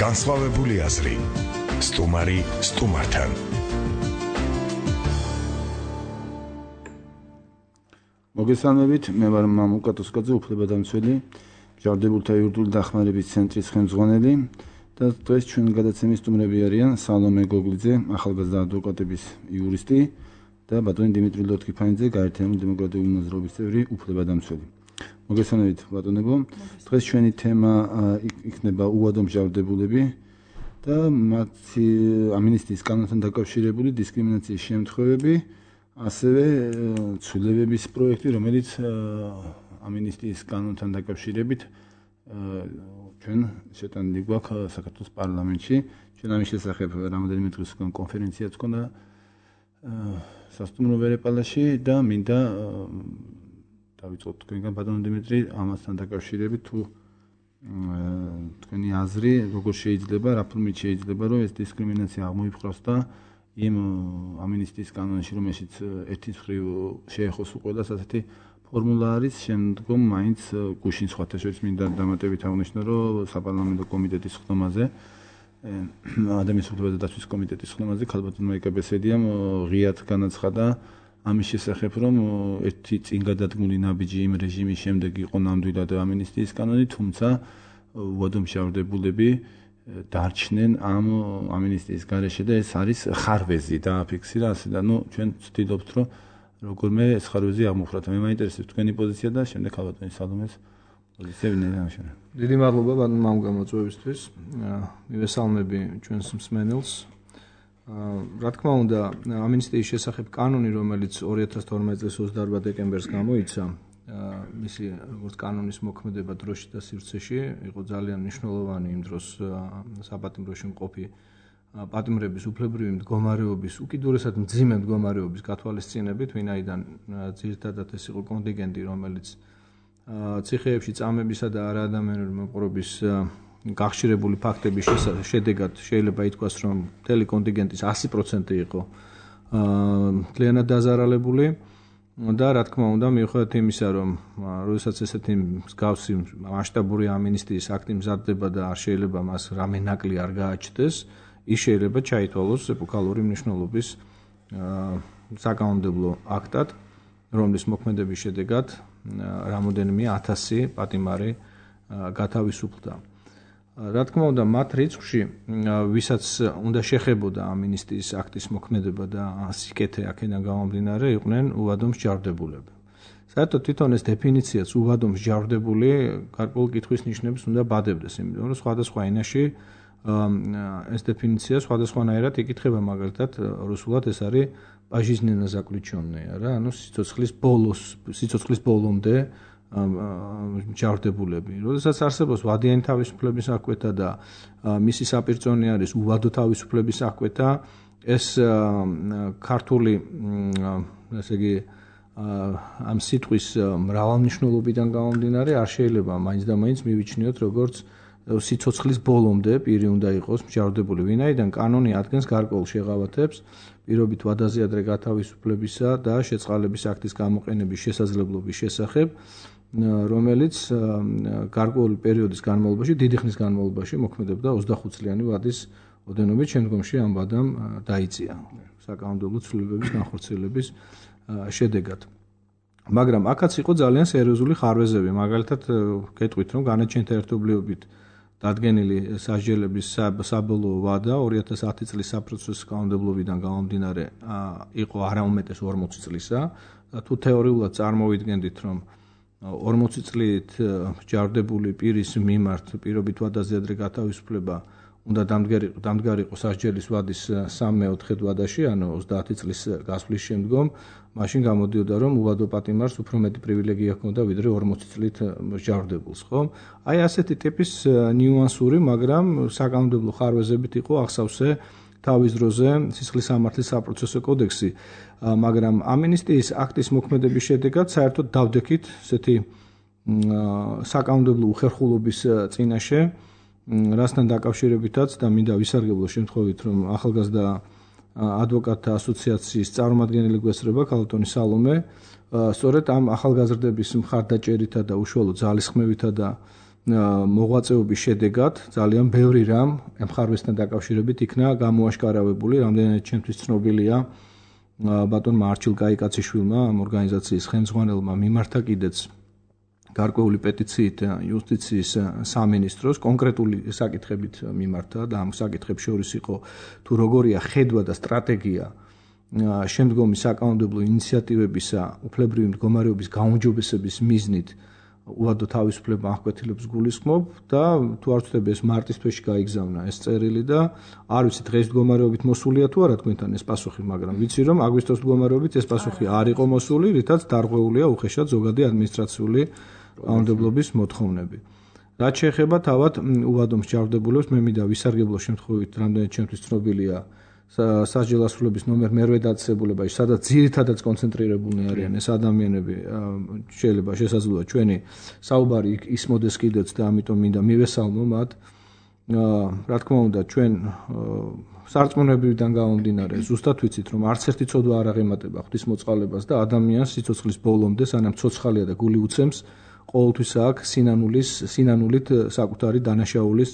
განსხვავებული აზრი. სტუმარი სტუმართან. მოგესალმებით, მე ვარ მამუკ კატოსკაძე, უფლებადამცველი, მჟავდებულთა იურიდიული დახმარების ცენტრის ხელმძღვანელი და დღეს ჩვენ გადაცემის სტუმრები არიან სალომე გოგლიძე, ახალგაზრდა ადვოკატების იურისტი და ბატონი დიმიტრი ლოტკიფანიძე, გაერთიანებული დემოკრატიული მოძრაობის წევრი, უფლებადამცველი. მოგესალმებით, ბატონებო. დღეს ჩვენი თემა იქნება უვადო მჟავდებულები და მათი ამინისტიის კანონთან დაკავშირებული დისკრიმინაციის შემთხვევები, ასევე ცვლილებების პროექტი, რომელიც ამინისტიის კანონთან დაკავშირებით ჩვენ შეტანილი გვაქვს საქართველოს პარლამენტში. ჩვენ ამის შესახებ რამოდენიმე დღის უკან კონფერენციაც ჰქონდა სასტუმრო ვერეპალაში და მინდა დავიწყოთ თქვენგან ბატონო დიმიტრი ამასთან დაკავშირებით თუ თქვენი აზრი როგორ შეიძლება, რა ფორმით შეიძლება რომ ეს დისკრიმინაცია აღმოიფხვრას და იმ ამინისტიის კანონში რომელშიც ერთის მხრივ შეეხოს უყოლას ასეთი ფორმულა არის, შემდგომ მაინც გუშინ სხვათა შორის მინდა დამატებით აღნიშნო, რომ საპარლამენტო კომიტეტის ხდომაზე ადამიანის უფლებათა დაცვის კომიტეტის ხდომაზე ქალბატონმა იკაბესედიამ ღიად განაცხადა ამის შესახებ, რომ ერთი წინ გადადგმული ნაბიჯი იმ რეჟიმის შემდეგ იყო ნამდვილად ამინისტიის კანონი, თუმცა უვადო მჟავდებულები დარჩნენ ამ ამინისტიის გარეშე და ეს არის ხარვეზი დააფიქსირა ასე და ჩვენ ვცდილობთ რომ როგორმე ეს ხარვეზი აღმოფხვრათ. მე მაინტერესებს თქვენი პოზიცია და შემდეგ ქალბატონის სალომეს პოზიცია ვინაიდან ამშენებ. დიდი მადლობა ბატონო ამ გამოწვევისთვის. მივესალმები ჩვენს მსმენელს. რა თქმა უნდა, ამინისტიის შესახებ კანონი, რომელიც 2012 წლის 28 დეკემბერს გამოიცა, მისი როგორც კანონის მოქმედება დროში და სივრცეში იყო ძალიან მნიშვნელოვანი იმ დროს საპატიმროში მყოფი პატიმრების უფლებრივი მდგომარეობის, უკიდურესად მძიმე მდგომარეობის გათვალისწინებით, ვინაიდან ძირითადად ეს იყო კონტინგენტი, რომელიც ციხეებში წამებისა და არაადამიანური მოპყრობის გახშირებული ფაქტების შედეგად შეიძლება ითქვას, რომ მთელი კონტინგენტის 100% იყო მთლიანად დაზარალებული. და რა თქმა უნდა, მიუხედავად იმისა, რომ როდესაც ესეთი მსგავსი მასშტაბური ამინისტიის აქტი მზადდება და არ შეიძლება მას რამე ნაკლი არ გააჩნდეს, ის შეიძლება ჩაითვალოს ეპოქალური მნიშვნელობის საკანონმდებლო აქტად, რომლის მოქმედების შედეგად რამოდენიმე 1000 პატიმარი გათავისუფლდა. რა თქმა უნდა, მათ რიცხვში, ვისაც უნდა შეხებოდა ამინისტიის აქტის მოქმედება და სიკეთე აქედან გამომდინარე, იყვნენ უვადო მჟავდებულები. საერთოდ თვითონ ეს დეფინიციაც უვადო მჟავდებული გარკვეულ კითხვის ნიშნებს უნდა ბადებდეს, იმიტომ რომ სხვადასხვა ენაში ეს დეფინიცია სხვადასხვანაირად იკითხება, მაგალითად, რუსულად ეს არის პაჟიზნენა заключённые, რა, ანუ სიცოცხლის ბოლომდე მჟავდებულები. როდესაც არსებობს ვადიანი თავისუფლების აღკვეთა და მისი საპირწონე არის უვადო თავისუფლების აღკვეთა, ეს ქართული, ასე იგი, ამ სიტყვის მრავალმნიშვნელობიდან გამომდინარე არ შეიძლება მაინც და მაინც მივიჩნიოთ როგორც სიცოცხლის ბოლომდე პირი უნდა იყოს მჟავდებული, ვინაიდან კანონი ადგენს გარკვეულ შეღავათებს პირობით ვადაზე ადრე გათავისუფლებისა და შეწყალების აქტის გამოყენების შესაძლებლობის შესახებ, რომელიც გარკვეული პერიოდის განმავლობაში, დიდი ხნის განმავლობაში მოქმედებდა 25 წლიანი ვადის ოდენობით, შემდგომში ამ ვადამ დაიწია საკანონმდებლო ცვლილებების განხორციელების შედეგად. მაგრამ აქაც იყო ძალიან სერიოზული ხარვეზები, მაგალითად, გეტყვით, რომ განაჩენთა ერთობლიობით დადგენილი სასჯელების საბოლოო ვადა 2010 წლის საპროცესო კანონმდებლობიდან გამომდინარე იყო არაუმეტეს 40 წლისა და თუ თეორიულად წარმოვიდგენდით, რომ 40 წლით მჟავდებული პირის მიმართ პირობით ვადაზე ადრე გათავისუფლება უნდა დამდგარიყო სასჯელის ვადის 3/4 ვადაში, ანუ 30 წლის გასვლის შემდგომ, მაშინ გამოდიოდა, რომ უვადო პატიმარს უფრო მეტი პრივილეგია ჰქონდა ვიდრე 40 წლით მჟავდებულს, ხო? აი ასეთი ტიპის ნიუანსური, მაგრამ საკანონმდებლო ხარვეზებით იყო აღსავსე თავის დროზე სისხლის სამართლის საპროცესო კოდექსი, მაგრამ ამინისტიის აქტის მოქმედების შედეგად საერთოდ დავდექით ესეთი საკანონმდებლო უხერხულობის წინაშე, რასთან დაკავშირებითაც და მინდა ვისარგებლო შემთხვევით, რომ ახალგაზრდა ადვოკატთა ასოციაციის წარმომადგენელი გვესწრება ქალბატონი სალომე, სწორედ ამ ახალგაზრდების მხარდაჭერითა და უშუალო ძალისხმევითა და მოღვაწეობის შედეგად ძალიან ბევრი რამ ემხარვესთან დაკავშირებით იქნა გამოაშკარავებული, რამდენად ჩემთვის ცნობილია ბატონმა არჩილ კაიკაციშვილმა ამ ორგანიზაციის ხელმძღვანელმა მიმართა კიდეც გარკვეული პეტიციით იუსტიციის სამინისტროს კონკრეტული საკითხებით მიმართა და ამ საკითხებს შორის იყო თუ როგორია ხედვა და სტრატეგია შემდგომი საკანონმდებლო ინიციატივებისა უფლებრივი მდგომარეობის გაუმჯობესების მიზნით უვადო თავისუფლება აღკვეთილებს გულისხმობ და თუ არ ვცდები ეს მარტის თვეში გაიგზავნა ეს წერილი და არ ვიცი დღეს მდგომარეობით მოსულია თუ არა თქვენთან ეს პასუხი, მაგრამ ვიცი რომ აგვისტოს მდგომარეობით ეს პასუხი არ იყო მოსული, რითაც დარღვეულია უხეშად ზოგადი ადმინისტრაციული კანონმდებლობის მოთხოვნები. რაც შეეხება თავად უვადო მსჯავრდებულებს, მე მინდა ვისარგებლო შემთხვევით, რამდენად ჩემთვის ცნობილია სასჯელ ასრულების ნომერ მერვე დაწესებულებაში, სადაც ძირითადად კონცენტრირებულნი არიან ეს ადამიანები, შეიძლება შესაძლოა ჩვენი საუბარი ისმოდეს კიდეც და ამიტომ მინდა მივესალმო მათ. რა თქმა უნდა, ჩვენ სარწმუნოებიდან გამომდინარე, ზუსტად ვიცით, რომ არც ერთი ცოდვა არ აღემატება ღვთისმოწყალებას და ადამიანს სიცოცხლის ბოლომდე, სანამ ცოცხალია და გული უცემს, ყოველთვის აქვს სინანულით საკუთარი დანაშაულის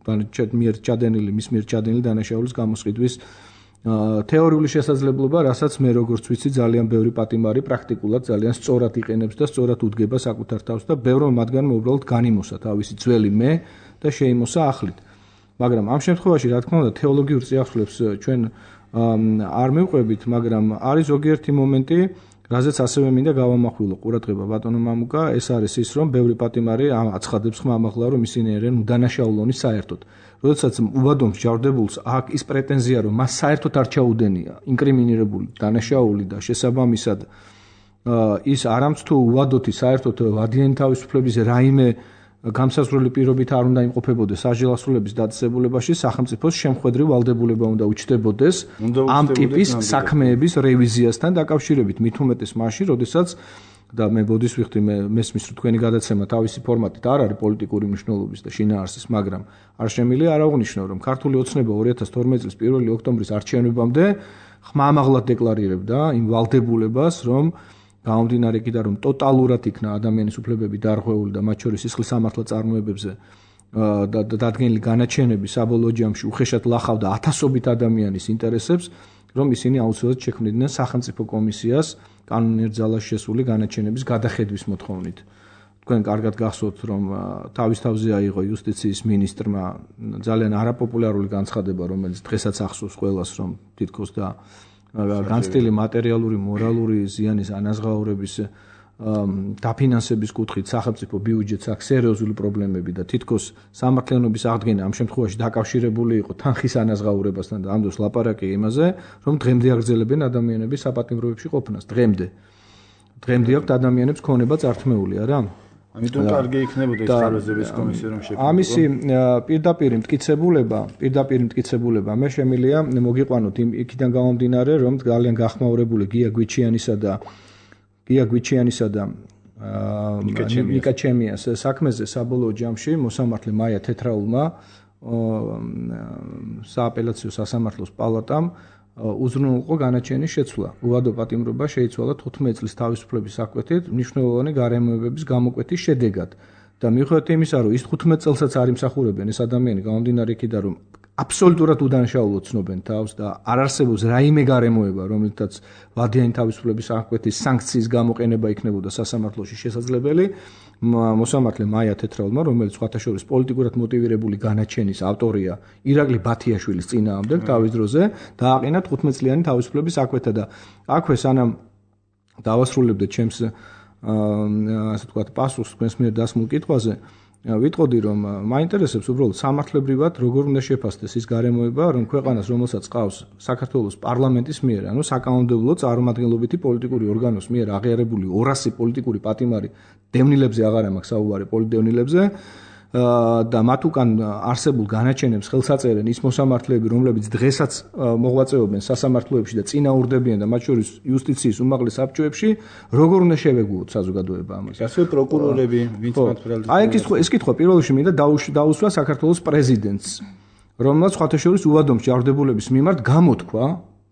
მის მიერ ჩადენილი დანაშაულის გამოსყიდვის თეორიული შესაძლებლობა, რასაც მე როგორც ვიცი, ძალიან ბევრი პატიმარი პრაქტიკულად ძალიან სწორად იყენებს და სწორად უდგება საკუთარ თავს და ბევრმა მათგანმა უბრალოდ განიმოსა თავისი ძველი მე და შეიმოსა ახლით. მაგრამ ამ შემთხვევაში, რა თქმა უნდა, თეოლოგიურ წიაღსვლებს ჩვენ არ მივყვებით, მაგრამ არის ზოგიერთი მომენტი, რაზეც ასევე მინდა გავამახვილო ყურადღება ბატონო მამუკა, ეს არის ის, რომ ბევრი პატიმარი აცხადებს ხმამაღლა, რომ ისინი არიან უდანაშაულონი საერთოდ. როდესაც უვადო მსჯავრდებულს აქვს ის პრეტენზია, რომ მას საერთოდ არ ჩაუდენია ინკრიმინირებული დანაშაული და შესაბამისად ის არამც თუ უვადოთი საერთოდ ვადიანი თავისუფლების რაიმე გამსაზღვრელი პირობით არ უნდა იმყოფებოდეს სასჯელ ასრულების დაწესებულებაში, სახელმწიფოს შემხვედრი ვალდებულება უნდა უჩნდებოდეს ამ ტიპის საქმეების რევიზიასთან დაკავშირებით, მით უმეტეს მაშინ, როდესაც და მე ბოდის ვიხდი, მესმის რომ თქვენი გადაცემა თავისი ფორმატით არ არის პოლიტიკური მნიშვნელობის და შინაარსის, მაგრამ არ შემიძლია არ აღვნიშნო, რომ ქართული ოცნება 2012 წლის 1 ოქტომბრის არჩევნებამდე ხმამაღლად დეკლარირებდა იმ ვალდებულებას, რომ გამომდინარე იქიდან, რომ ტოტალურად იქნა ადამიანის უფლებები დარღვეული და მათ შორის სისხლის სამართლა წარმოებებზე და დადგენილი განაჩენები საბოლოო ჯამში უხეშად ლახავდა ათასობით ადამიანის ინტერესებს, რომ ისინი აუცილებლად შექმნიდნენ სახელმწიფო კომისიას კანონიერ ძალაში შესული განაჩენების გადახედვის მოთხოვნით. თქვენ კარგად გახსოვთ, რომ თავის თავზე აიღო იუსტიციის მინისტრმა ძალიან არაპოპულარული განცხადება, რომელიც დღესაც ახსოვს ყველას, რომ თითქოს და განცდილი მატერიალური, მორალური ზიანის ანაზღაურების დაფინანსების კუთხით სახელმწიფო ბიუჯეტს აქვს სერიოზული პრობლემები და თითქოს სამართლიანობის აღდგენა ამ შემთხვევაში დაკავშირებული იყო თანხის ანაზღაურებასთან და ამ დროს ლაპარაკი იმაზე, რომ დღემდე აგრძელებენ ადამიანების საპატიმროებში ყოფნას. დღემდე აქვთ ადამიანებს ქონება წართმეული, არა? ამიტომ კარგი იქნებოდა ეს ხარვეზების კომისია რომ შექმნას. ამისი პირდაპირ მტკიცებულება მე შემიძლია მოგიყვანოთ იქიდან გამომდინარე, რომ ძალიან გახმაურებული გია გვიჩიანისა და ნიკა ჩემიას საქმეზე საბოლოო ჯამში მოსამართლე მაია თეთრაულმა სააპელაციო სასამართლოს პალატამ უზრუნველყო განაჩენის შეცვლა. უვადო პატიმრობა შეიცვალა 15 წლის თავისუფლების საკვეთით მნიშვნელოვანი გარემოებების გამოკვეთის შედეგად. და მიუხედავად იმისა, რომ ის 15 წელსაც არ იმსახურებენ ეს ადამიანი, გამომდინარე იქიდან, რომ აბსოლუტურად უდანაშაულოდ ცნობენ თავს და არ არსებობს რაიმე გარემოება, რომელთაც ვადიანი თავისუფლების საკვეთის სანქციის გამოყენება იქნებოდა სასამართლოში შესაძლებელი, მოსამართლე მაია თეთრაულმა, რომელიც სხვათა შორის პოლიტიკურად მოტივირებული განაჩენის ავტორია ირაკლი ბათიაშვილის წინააღმდეგ თავის დროზე, დააყენა 15 წლიანი თავისუფლების საკვეთა და აქვე სანამ დავასრულებდე ჩემს ასე ვთქვათ პასუხს თქვენს მიერ დასმულ კითხვაზე, ვიტყოდი, რომ მაინტერესებს უბრალოდ სამართლებრივად როგორ უნდა შეფასდეს ის გარემოება, რომ ქვეყანას, რომელსაც ყავს საქართველოს პარლამენტის მიერ, ანუ საკანონმდებლო წარმომადგენლობითი პოლიტიკური ორგანოს მიერ აღიარებული 200 პოლიტიკური პატიმარი დევნილებზე აღარ მაქვს საუბარი პოლიტდევნილებზე და მათ უკან არსებულ განაჩენებს ხელს აწერენ ის მოსამართლეები, რომლებიც დღესაც მოღვაწეობენ სასამართლოებში და წინაურდებიან და მათ შორის იუსტიციის უმაღლეს საბჭოებში, როგორ უნდა შევეგუოთ საზოგადოება ამას. ასევე პროკურორები, ვინც მათ ფრალს. აი ეს კითხვა პირველ რიგში მინდა დაუსვა საქართველოს პრეზიდენტს, რომელსაც სხვათა შორის უვადო მსჯავრდებულების მიმართ გამოთქვა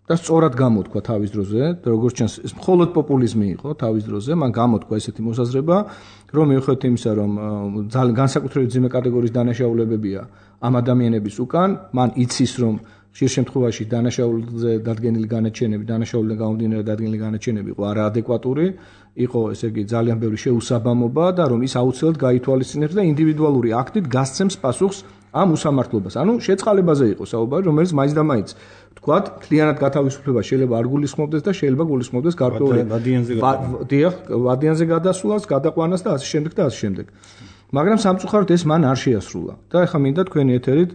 და სწორად გამოთქვა თავის დროზე, როგორც ჩანს, ეს მხოლოდ პოპულიზმი იყო თავის დროზე, მან გამოთქვა ესეთი მოსაზრება, რომ მიუხედავად იმისა, რომ ძალიან განსაკუთრებით ძიმე კატეგორიის დანაშაულებებია ამ ადამიანების უკან, მან იცის, რომ ხშირ შემთხვევაში დანაშაულზე დადგენილი განაჩენები, დანაშაულიდან გამომდინარე დადგენილი განაჩენები იყო არაადეკვატური, იყო ესე იგი ძალიან ბევრი შეუსაბამობა და რომ ის აუცილებლად გაითვალისწინებს და ინდივიდუალური აქტით გასცემს პასუხს ამ უსამართლობას. ანუ შეწყალებაზე იყო საუბარი, რომელიც მაინც და მაინც თქვათ, მთლიანად გათავისუფლება შეიძლება არ გულისხმობდეს და შეიძლება გულისხმობდეს გარკვეული ვადიანზე გადასვლას, გადაყვანას და ასე შემდეგ და ასე შემდეგ. მაგრამ სამწუხაროდ ეს მან არ შეასრულა. და ეხლა მინდა თქვენი ეთერით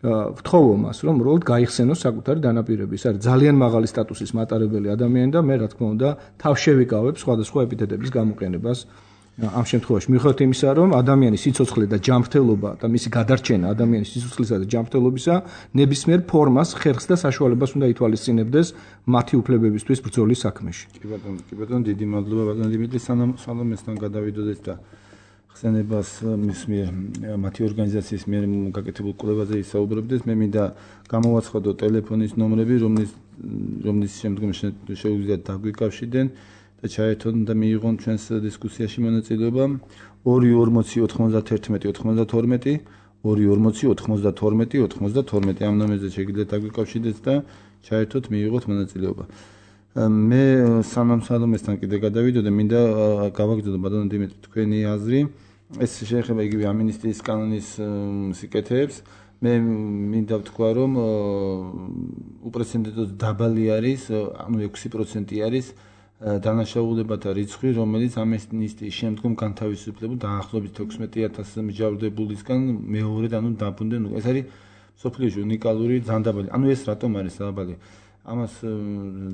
ვთხოვო მას, რომ უბრალოდ გაიხსენოს საკუთარი დანაპირები. ეს არის ძალიან მაღალი სტატუსის მატარებელი ადამიანი და მე რა თქმა უნდა თავ შევიკავებ სხვადასხვა ეპითეტების გამოყენებას. ამ შემთხვევაში მიუხედავად იმისა, რომ ადამიანის სიცოცხლე და ჯანმრთელობა და მისი გადარჩენა ადამიანის სიცოცხლისა და ჯანმრთელობისა ნებისმიერ ფორმას, ხერხს და საშუალებას უნდა ითვალისწინებდეს მათი უფლებებისთვის ბრძოლის საქმეში. კი ბატონო, დიდი მადლობა ბატონო დიმიტრი, სანამ სალომესთან გადავიდოდეთ და ხსენებას მის მიერ მათი ორგანიზაციის მიერ გაკეთებულ კვლევაზე ისაუბრებდეს, მე მინდა გამოვაცხადო ტელეფონის ნომრები, რომლის შემდგომში შეუძლიათ დაგვიკავშირდნენ და ჩაერთონ და მიიღონ ჩვენს დისკუსიაში მონაწილეობა 240-91-92 240-92 ამ ნომერზე შეგიძლიათ დაგვიკავშირდეთ და ჩაერთოთ მიიღოთ მონაწილეობა. მე სანამ სალომესთან კიდე გადავიდოდე, მინდა გავაგრძელო ბატონო დიმიტრი თქვენი აზრი. ეს შეეხება იგივე ამინისტიის კანონის სიკეთეებს. მე მინდა ვთქვა, რომ უპრეცედენტოდ დაბალი არის, ანუ 6% არის დანაშაულებათა რიცხვი, რომელიც ამნისტიის შემდგომ განთავისუფლებულ დაახლოებით 16,000 მიჯავრდებულისგან მეორედ, ანუ დაბრუნდნენ. ეს არის სოფლიოში უნიკალური ძალიან დაბალი. ანუ ეს რატომ არის დაბალი? ამას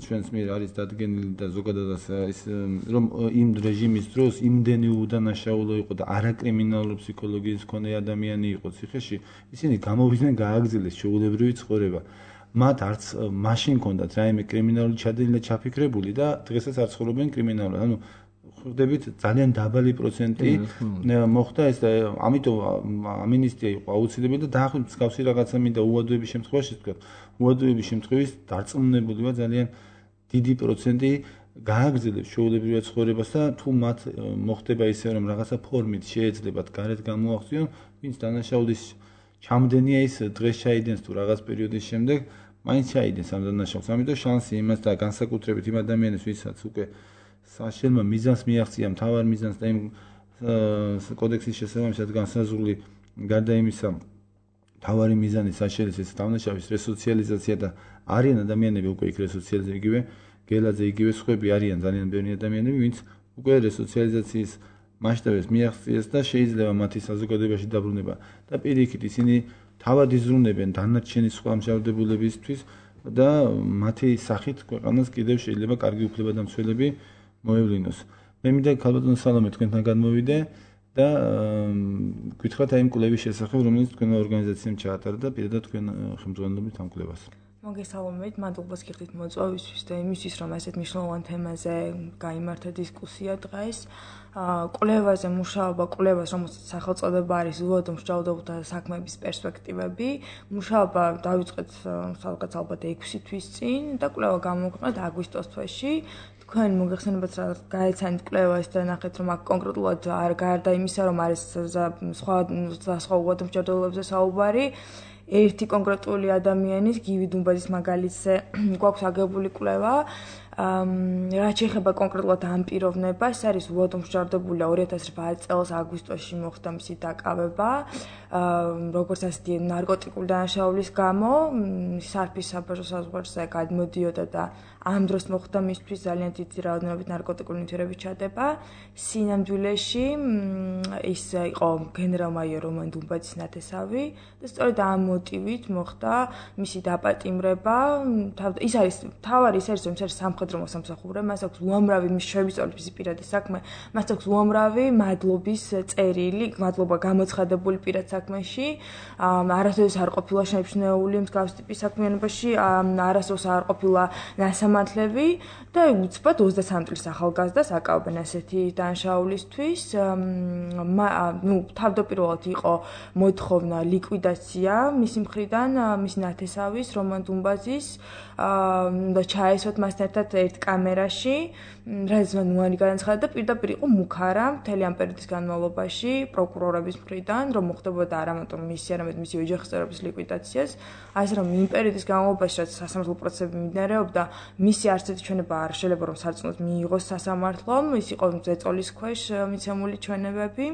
ჩვენს მიერ არის დადგენილი და ზოგადადაც ის რომ იმ რეჟიმის დროს იმდენი უდანაშაულო იყო და არაკრიმინალური ფსიქოლოგიის მქონე ადამიანი იყო ციხეში, ისინი გამოვიდნენ გააგრძელეს ჩვეულებრივი ცხოვრება. მათ არც მაშინ ჰქონდათ რაიმე კრიმინალური ჩადენილი და ჩაფიქრებული და დღესაც არ ცხოვრობენ კრიმინალურად. ანუ ხვდებით ძალიან დაბალი პროცენტი მოხდა ეს და ამიტომ ამინისტია იყო აუცილებელი და დაახლოებით მსგავსი რაღაცა მინდა უადოების შემთხვევაში თქვა. უადოების შემთხვევაში დარწმუნებული ვარ ძალიან დიდი პროცენტი გააგრძელებს ჩვეულებრივად ცხოვრებას და თუ მათ მოხდება ისე რომ რაღაცა ფორმით შეეძლებათ გარეთ გამოახსნიონ, ვინც დანაშაულის ჩამდენია ის დღეს ჩაიდენს თუ რაღაც პერიოდის შემდეგ მაინც ჩაიდენს ამ დანაშაულს. ამიტომ შანსი იმას და განსაკუთრებით იმ ადამიანებს, ვისაც უკვე საშელმა მიზანს მიაღწია, მთავარ მიზანს და იმ კოდექსის შესაბამისად განსაზღვრული გარდა იმისა მთავარი მიზანი საშელის ეს დანაშაულის რესოციალიზაცია და არიან ადამიანები უკვე იქ რესოციალიზაცია იგივე გელაძე იგივე სხვები არიან ძალიან ბევრი ადამიანები, ვინც უკვე რესოციალიზაციის მასშტაბებს მიაღწიეს და შეიძლება მათი საზოგადოებაში დაბრუნება და პირიქით ისინი თავად იზრუნებენ დანარჩენი სხვა მსჯავრდებულებისთვის და მათი სახით ქვეყანას კიდევ შეიძლება კარგი უფლება და მცველები მოევლინოს. მე მინდა ქალბატონო სალომე თქვენთან გადმოვიდე და გითხრათ აი იმ კვლევის შესახებ, რომელიც თქვენმა ორგანიზაციამ ჩაატარა და პირადად თქვენ ხელმძღვანელობით ამ კვლევას. მოგესალმებით, მადლობას გიხდით მოწვევისთვის და იმისთვის, რომ ასეთ მნიშვნელოვან თემაზე გაიმართა დისკუსია დღეს. კვლევაზე მუშაობა, კვლევას, რომელსაც სახელწოდება არის უადო მსჯავრდებულთა საქმეების პერსპექტივები. მუშაობა დავიწყეთ სადღაც ალბათ 6 თვის წინ და კვლევა გამოვაქვეყნეთ აგვისტოს თვეში. თქვენ მოგეხსენებათ რა გაეცანით კვლევას და ნახეთ რომ აქ კონკრეტულად არ გარდა იმისა რომ არის სხვა უადო მსჯავრდებულებზე საუბარი ერთი კონკრეტული ადამიანის გივი დუმბაძის მაგალითზე გვაქვს აგებული კვლევა რაც შეეხება კონკრეტულად ამ პიროვნებას არის უადო მსჯავრდებული 2008 წელს აგვისტოში მოხდა მისი დაკავება როგორც ასეთი ნარკოტიკული დანაშაულის გამო სარფის საბაჟო საზღვარზე გადმოდიოდა და ამ დროს მოხდა მისთვის ძალიან დიდი რაოდენობით ნარკოტიკული ნივთიერების ჩადება სინამდვილეში ის იყო გენერალ-მაიორ რომან დუმბაძის ნათესავი და სწორედ ამ მოტივით მოხდა მისი დაპატიმრება ის არის თავარი ის არის სამხედრო მოსამსახურე მას აქვს უამრავი მის შევიწროების მისი პირადი საქმე მას აქვს უამრავი მადლობის წერილი მადლობა გამოცხადებული პირად საქმეში არასდროს არ ყოფილა შეიმჩნეული მსგავსი ტიპის საქმიანობაში არასდროს არ ყოფილა სასამართლები და უცბად 23 წლის ახალგაზრდას აკავებენ ასეთი დანაშაულისთვის. თავდაპირველად იყო მოთხოვნა ლიკვიდაცია მისი მხრიდან, მისი ნათესავის, რომან დუმბაძის, და ჩაესვათ მასთან ერთად ერთ კამერაში, რაც მან უარი განაცხადა და პირდაპირ იყო მუქარა მთელი ამ პერიოდის განმავლობაში პროკურორების მხრიდან, რომ მოხდებოდა არა მარტო მისი, არამედ მისი ოჯახის წევრების ლიკვიდაციას, ასე რომ იმ პერიოდის განმავლობაში, რაც სასამართლო პროცესები მიმდინარეობდა, მისი არც ერთი ჩვენება არ შეიძლება რომ სარწმუნოდ მიიღოს სასამართლომ, ის იყო ზეწოლის ქვეშ მიცემული ჩვენებები.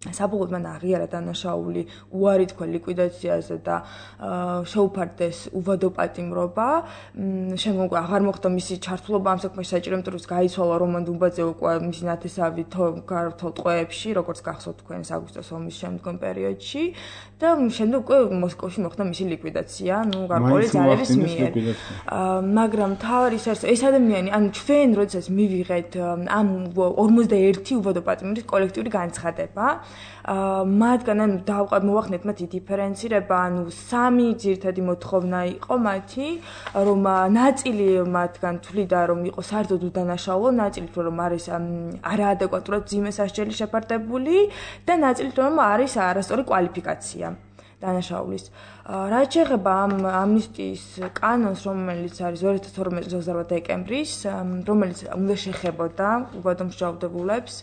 საბოლოოდ მან აღიარა დანაშაული, უარი თქვა ლიკვიდაციაზე და შეუფარდეს უვადო პატიმრობა. შემდგომ აღარ მოხდა მისი ჩართულობა ამ საქმეში საჭირო, იმიტომ რომ გაიცვალა რომან დუმბაძე უკვე მისი ნათესავი გარდაუქმნელ ტყვეებში, როგორც გახსოვთ თქვენს აგვისტოს ომის შემდგომ პერიოდში და შემდეგ უკვე მოსკოვში მოხდა მისი ლიკვიდაცია, გარკვეული ძალების მიერ. მაგრამ თავი ეს ადამიანი, ჩვენ როდესაც მივიღეთ ამ 51 უვადო პატიმრის კოლექტიური განცხადება, მათგან მოვახდეთ მათი დიფერენცირება, 3 ძირითადი მოთხოვნა იყო მათი, რომ ნაწილი მათგან თვლიდა, რომ იყო საერთოდ უდანაშაულო, ნაწილი თვლიდა, რომ არის არაადეკვატურად მძიმე სასჯელი შეფარდებული და ნაწილი თვლიდა, რომ არის არასწორი კვალიფიკაცია დანაშაულის. რაც შეეხება ამ ამნისტიის კანონს, რომელიც არის 2012 წლის 28 დეკემბრის, რომელიც უნდა შეხებოდა უვადო მსჯავრდებულებს,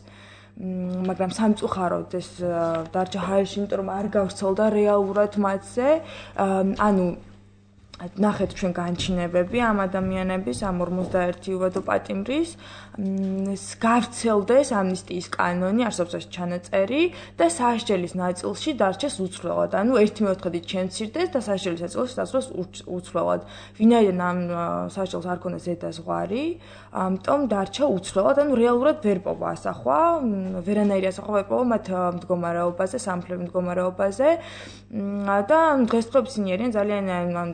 მაგრამ სამწუხაროდ ეს დარჩა ჰაერში, იმიტომ რომ არ გავრცელდა რეალურად მათზე, ნახეთ ჩვენ განჩინებები ამ ადამიანების, ამ 51 უვადო პატიმრის, გავრცელდეს ამნისტიის კანონი, არსებობს ეს ჩანაწერი და სასჯელის ნაწილში დარჩეს უცვლელად. 1/4-ით შემცირდეს და სასჯელის ნაწილში დაწვეს უცვლელად. ვინაიდან ამ სასჯელს არ ქონდა ზედაზღვარი, ამიტომ დარჩა უცვლელად, რეალურად ვერ პოვა ასახვა, ვერანაირი ასახვა ვერ პოვა მათ მდგომარეობაზე, სამართლებრივ მდგომარეობაზე და დღესდღეობით ისინი არიან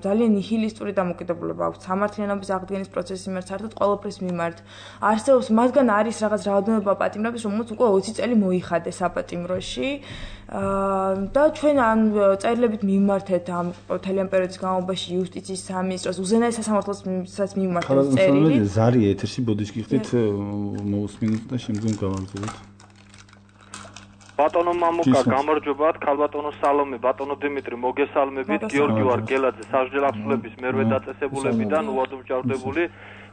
ძალიან ნიჰილისტური დამოკიდებულება აქვს სამართლიანობის აღდგენის პროცესის მიმართ, საერთოდ ყველაფრის მიმართ. არსებობს მათგან არის რაღაც რაოდენობა პატიმრების, რომელიც უკვე 20 წელი მოიხადეს საპატიმროში და ჩვენ ამ წერილებით მიმართეთ ამ მთელი ამ პერიოდის განმავლობაში იუსტიციის სამინისტროს, უზენაეს სასამართლოსაც მიმართეთ წერილი. ზარი ეთერში ბოდიშკი ხდით მოусმინოთ და შემდგომ გავაგრძელებთ. ბატონო მამუკა, გამარჯობათ, ქალბატონო სალომე, ბატონო დიმიტრი, მოგესალმებით, გიორგი ვარგელაძე, სასჯელ აღსრულების მერვე დაწესებულებიდან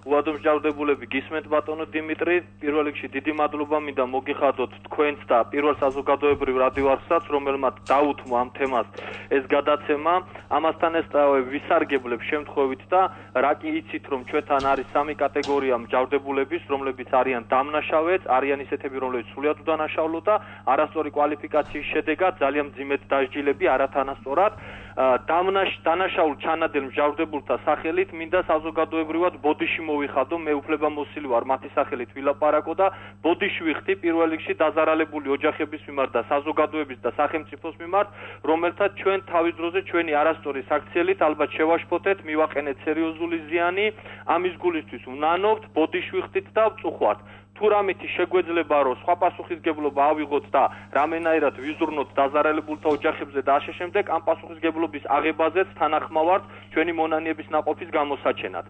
უვადო მსჯავრდებულები გისმენთ ბატონო დიმიტრი, პირველ რიგში დიდი მადლობა მინდა მოგიხადოთ თქვენს და პირველ საზოგადოებრივ რადიო არხსაც, რომელმაც დაუთმო ამ თემას ეს გადაცემა. ამასთან ესწავე ვისარგებლებ შემთხვევით და რა კი იცით, რომ ჩვენთან არის 3 კატეგორია მსჯავრდებულების, რომლებიც არიან დამნაშავეც, არიან ისეთები, რომლებიც სრულიად უდანაშაულო და არასწორი კვალიფიკაციის შედეგად ძალიან მძიმედ დასჯილები არათანასწორად. დანაშაულ ჩანადელ მსჯავრდებულთა სახელით მინდა საზოგადოებრივად ბოდიში მოვიხადო, მე უფლებამოსილი ვარ მათი სახელით ვილაპარაკო და ბოდიში ვიხდი პირველ რიგში დაზარალებული ოჯახების მიმართ და საზოგადოების და სახელმწიფოს მიმართ, რომელთაც ჩვენ თავის დროზე ჩვენი არასწორი საქციელით ალბათ შევაშფოთეთ, მივაყენეთ სერიოზული ზიანი, ამის გულისთვის ვნანობთ, ბოდიში ვიხდით და ვწუხვართ. თუ რამითი შეგვეძლება, რომ სხვა პასუხისგებლობა ავიღოთ და რამენაირად ვიზრუნოთ დაზარალებულთა ოჯახებზე და ასე შემდეგ, ამ პასუხისგებლობის აღებაზეც თანახმავართ ჩვენი მონანიების ნაყოფის გამოსაჩენად.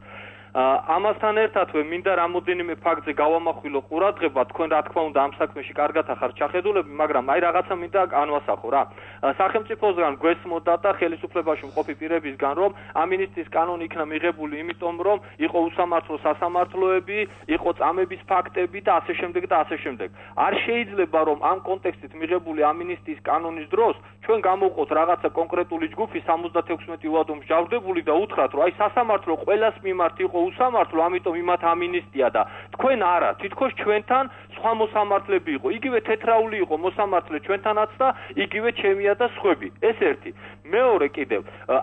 ამასთან ერთადვე მინდა რამოდენიმე ფაქტზე გავამახვილო ყურადღება, თქვენ რა თქმა უნდა ამ საქმეში კარგად ახართ ჩახედულები, მაგრამ აი რაღაცა მინდა განვასახო რა. სახელმწიფოსგან გვესმოდა და ხელისუფლებაში მყოფი პირებისგან, რომ ამინისტიის კანონი იქნა მიღებული იმიტომ, რომ იყო უსამართლო სასამართლოები, იყო წამების ფაქტები და ასე შემდეგ და ასე შემდეგ. არ შეიძლება რომ ამ კონტექსტით მიღებული ამინისტიის კანონის დროს ჩვენ გამოვყოთ რაღაცა კონკრეტული ჯგუფი 76 უვადო მსჯავრდებული და უთხრათ, რომ აი სასამართლო ყველას მიმართ იყო უსამართლო, ამიტომ იმათ ამინისტია და თქვენ არა, თითქოს ჩვენთან სხვა მოსამართლეები იყო. იგივე თეთრაული იყო მოსამართლე ჩვენთანაც და იგივე ჩემია და სხვები. ეს ერთი. მეორე კიდევ,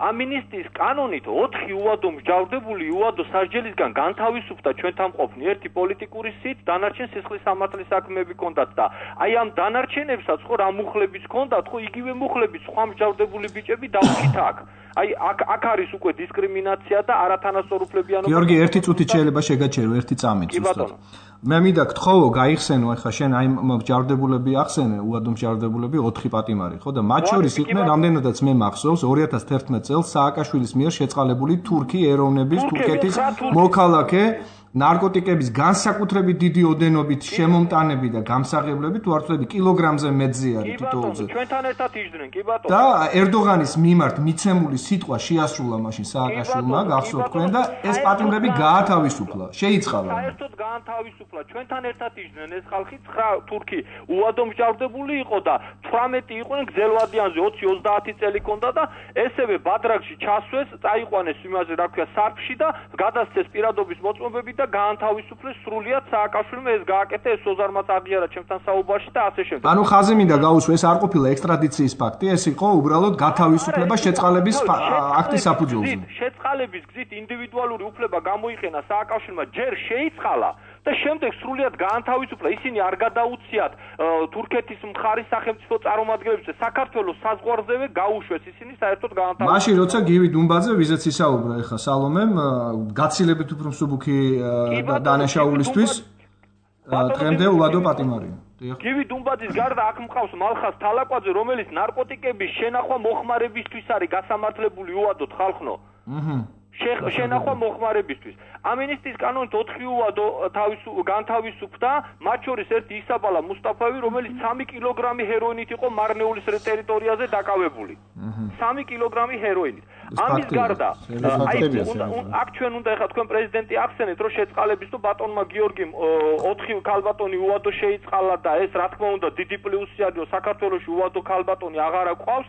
ამინისტიის კანონით 4 უვადო მსჯავრდებული უვადო სასჯელისგან განთავისუფლდა ჩვენთან მყოფნი. ერთი პოლიტიკური სით, დანარჩენ სისხლის სამართლის საქმეები ჰქონდათ და აი ამ დანარჩენებსაც ხო რა მუხლებიც ჰქონდათ, ხო იგივე მუხლებით სხვა მსჯავრდებული ბიჭები დავჭით აქ. აი აქ არის უკვე დისკრიმინაცია და არათანასწორუფლებიანობა. გიორგი, ერთი წუთი შეიძლება შეგაჩერო, ერთი წამით ზუსტად. მე მინდა გთხოვო, გაიხსენო ახლა შენ აი მსჯავრდებულები ახსენე, უადო მსჯავრდებულები 4 პატიმარი, ხო და მათ შორის იყვნენ რამდენადაც მე მახსოვს 2011 წელს სააკაშვილის მიერ შეწყალებული თურქი ეროვნების თურქეთის მოქალაქე ნარკოტიკების განსაკუთრებით დიდი ოდენობით შემომტანები და გამსაღებლები თუ არ ვთქვი კილოგრამზე მეტზე არის თითოეულზე. ჩვენთან ერთად იჯდნენ, კი ბატონო. და ერდოღანის მიმართ მიცემული სიტყვა შეასრულა მაშინ სააკაშვილმა, გახსოვთ თქვენ და ეს პატიმრები გაათავისუფლა, შეიწყალა. საერთოდ გაათავისუფლა. ჩვენთან ერთად იჯდნენ ეს ხალხი 9 თურქი უადო მსჯავრდებული იყო და 18 იყვნენ გზელვადიანზე 20-30 წელი ჰქონდა და ესევე ბადრაგში ჩასვეს, წაიყვანეს იმაზე რა ქვია სარფში და გადასცეს პირადობის მოწმობები და გაანთავისუფლეს სრულიად სააკაშვილმა ეს გააკეთა ეს სოზარმაც აღიარა ჩემთან საუბარში და ასე შემდეგ. ანუ ხაზი მინდა გაუსვა ეს არ ყოფილა ექსტრადიციის ფაქტი, ეს იყო უბრალოდ გათავისუფლება შეწყალების აქტის საფუძველზე. შეწყალების გზით ინდივიდუალური უფლება გამოიყენა სააკაშვილმა ჯერ შეიწყალა და შემდეგ სრულიად გაანთავისუფლა. ისინი არ გადაუციათ თურქეთის მხარის სახელმწიფო წარმომადგენლებს და საქართველოს საზღვარზევე გაუშვეს ისინი საერთოდ გაანთავისუფლეს. მაშინ როცა გივი დუმბაძე ვიზაც ისაუბრა ეხა სალომემ გაცილებით უფრო მსუბუქი დანაშაულისთვის დღემდე უვადო პატიმარია. გივი დუმბაძის გარდა აქ მყავს მალხას თალაკვაძე, რომელიც ნარკოტიკების შენახვა მოხმარებისთვის არის გასამართლებული უვადოდ ხალხნო. შენახვა მოხმარებისთვის. ამინისტიის კანონით 4 უვადო განთავისუფლდა, მათ შორის ერთი ისაბალა მუსტაფავი, რომელიც 3 კილოგრამი ჰეროინით იყო მარნეულის ტერიტორიაზე დაკავებული. 3 კილოგრამი ჰეროინით. ამის გარდა, აქ ჩვენ უნდა ეხლა თქვენ პრეზიდენტი ახსენეთ, რომ შეწყალების თუ ბატონმა გიორგიმ 4 ქალბატონი უვადო შეიწყალა და ეს რა თქმა უნდა დიდი პლუსი არის, რომ საქართველოში უვადო ქალბატონი აღარა ყავს.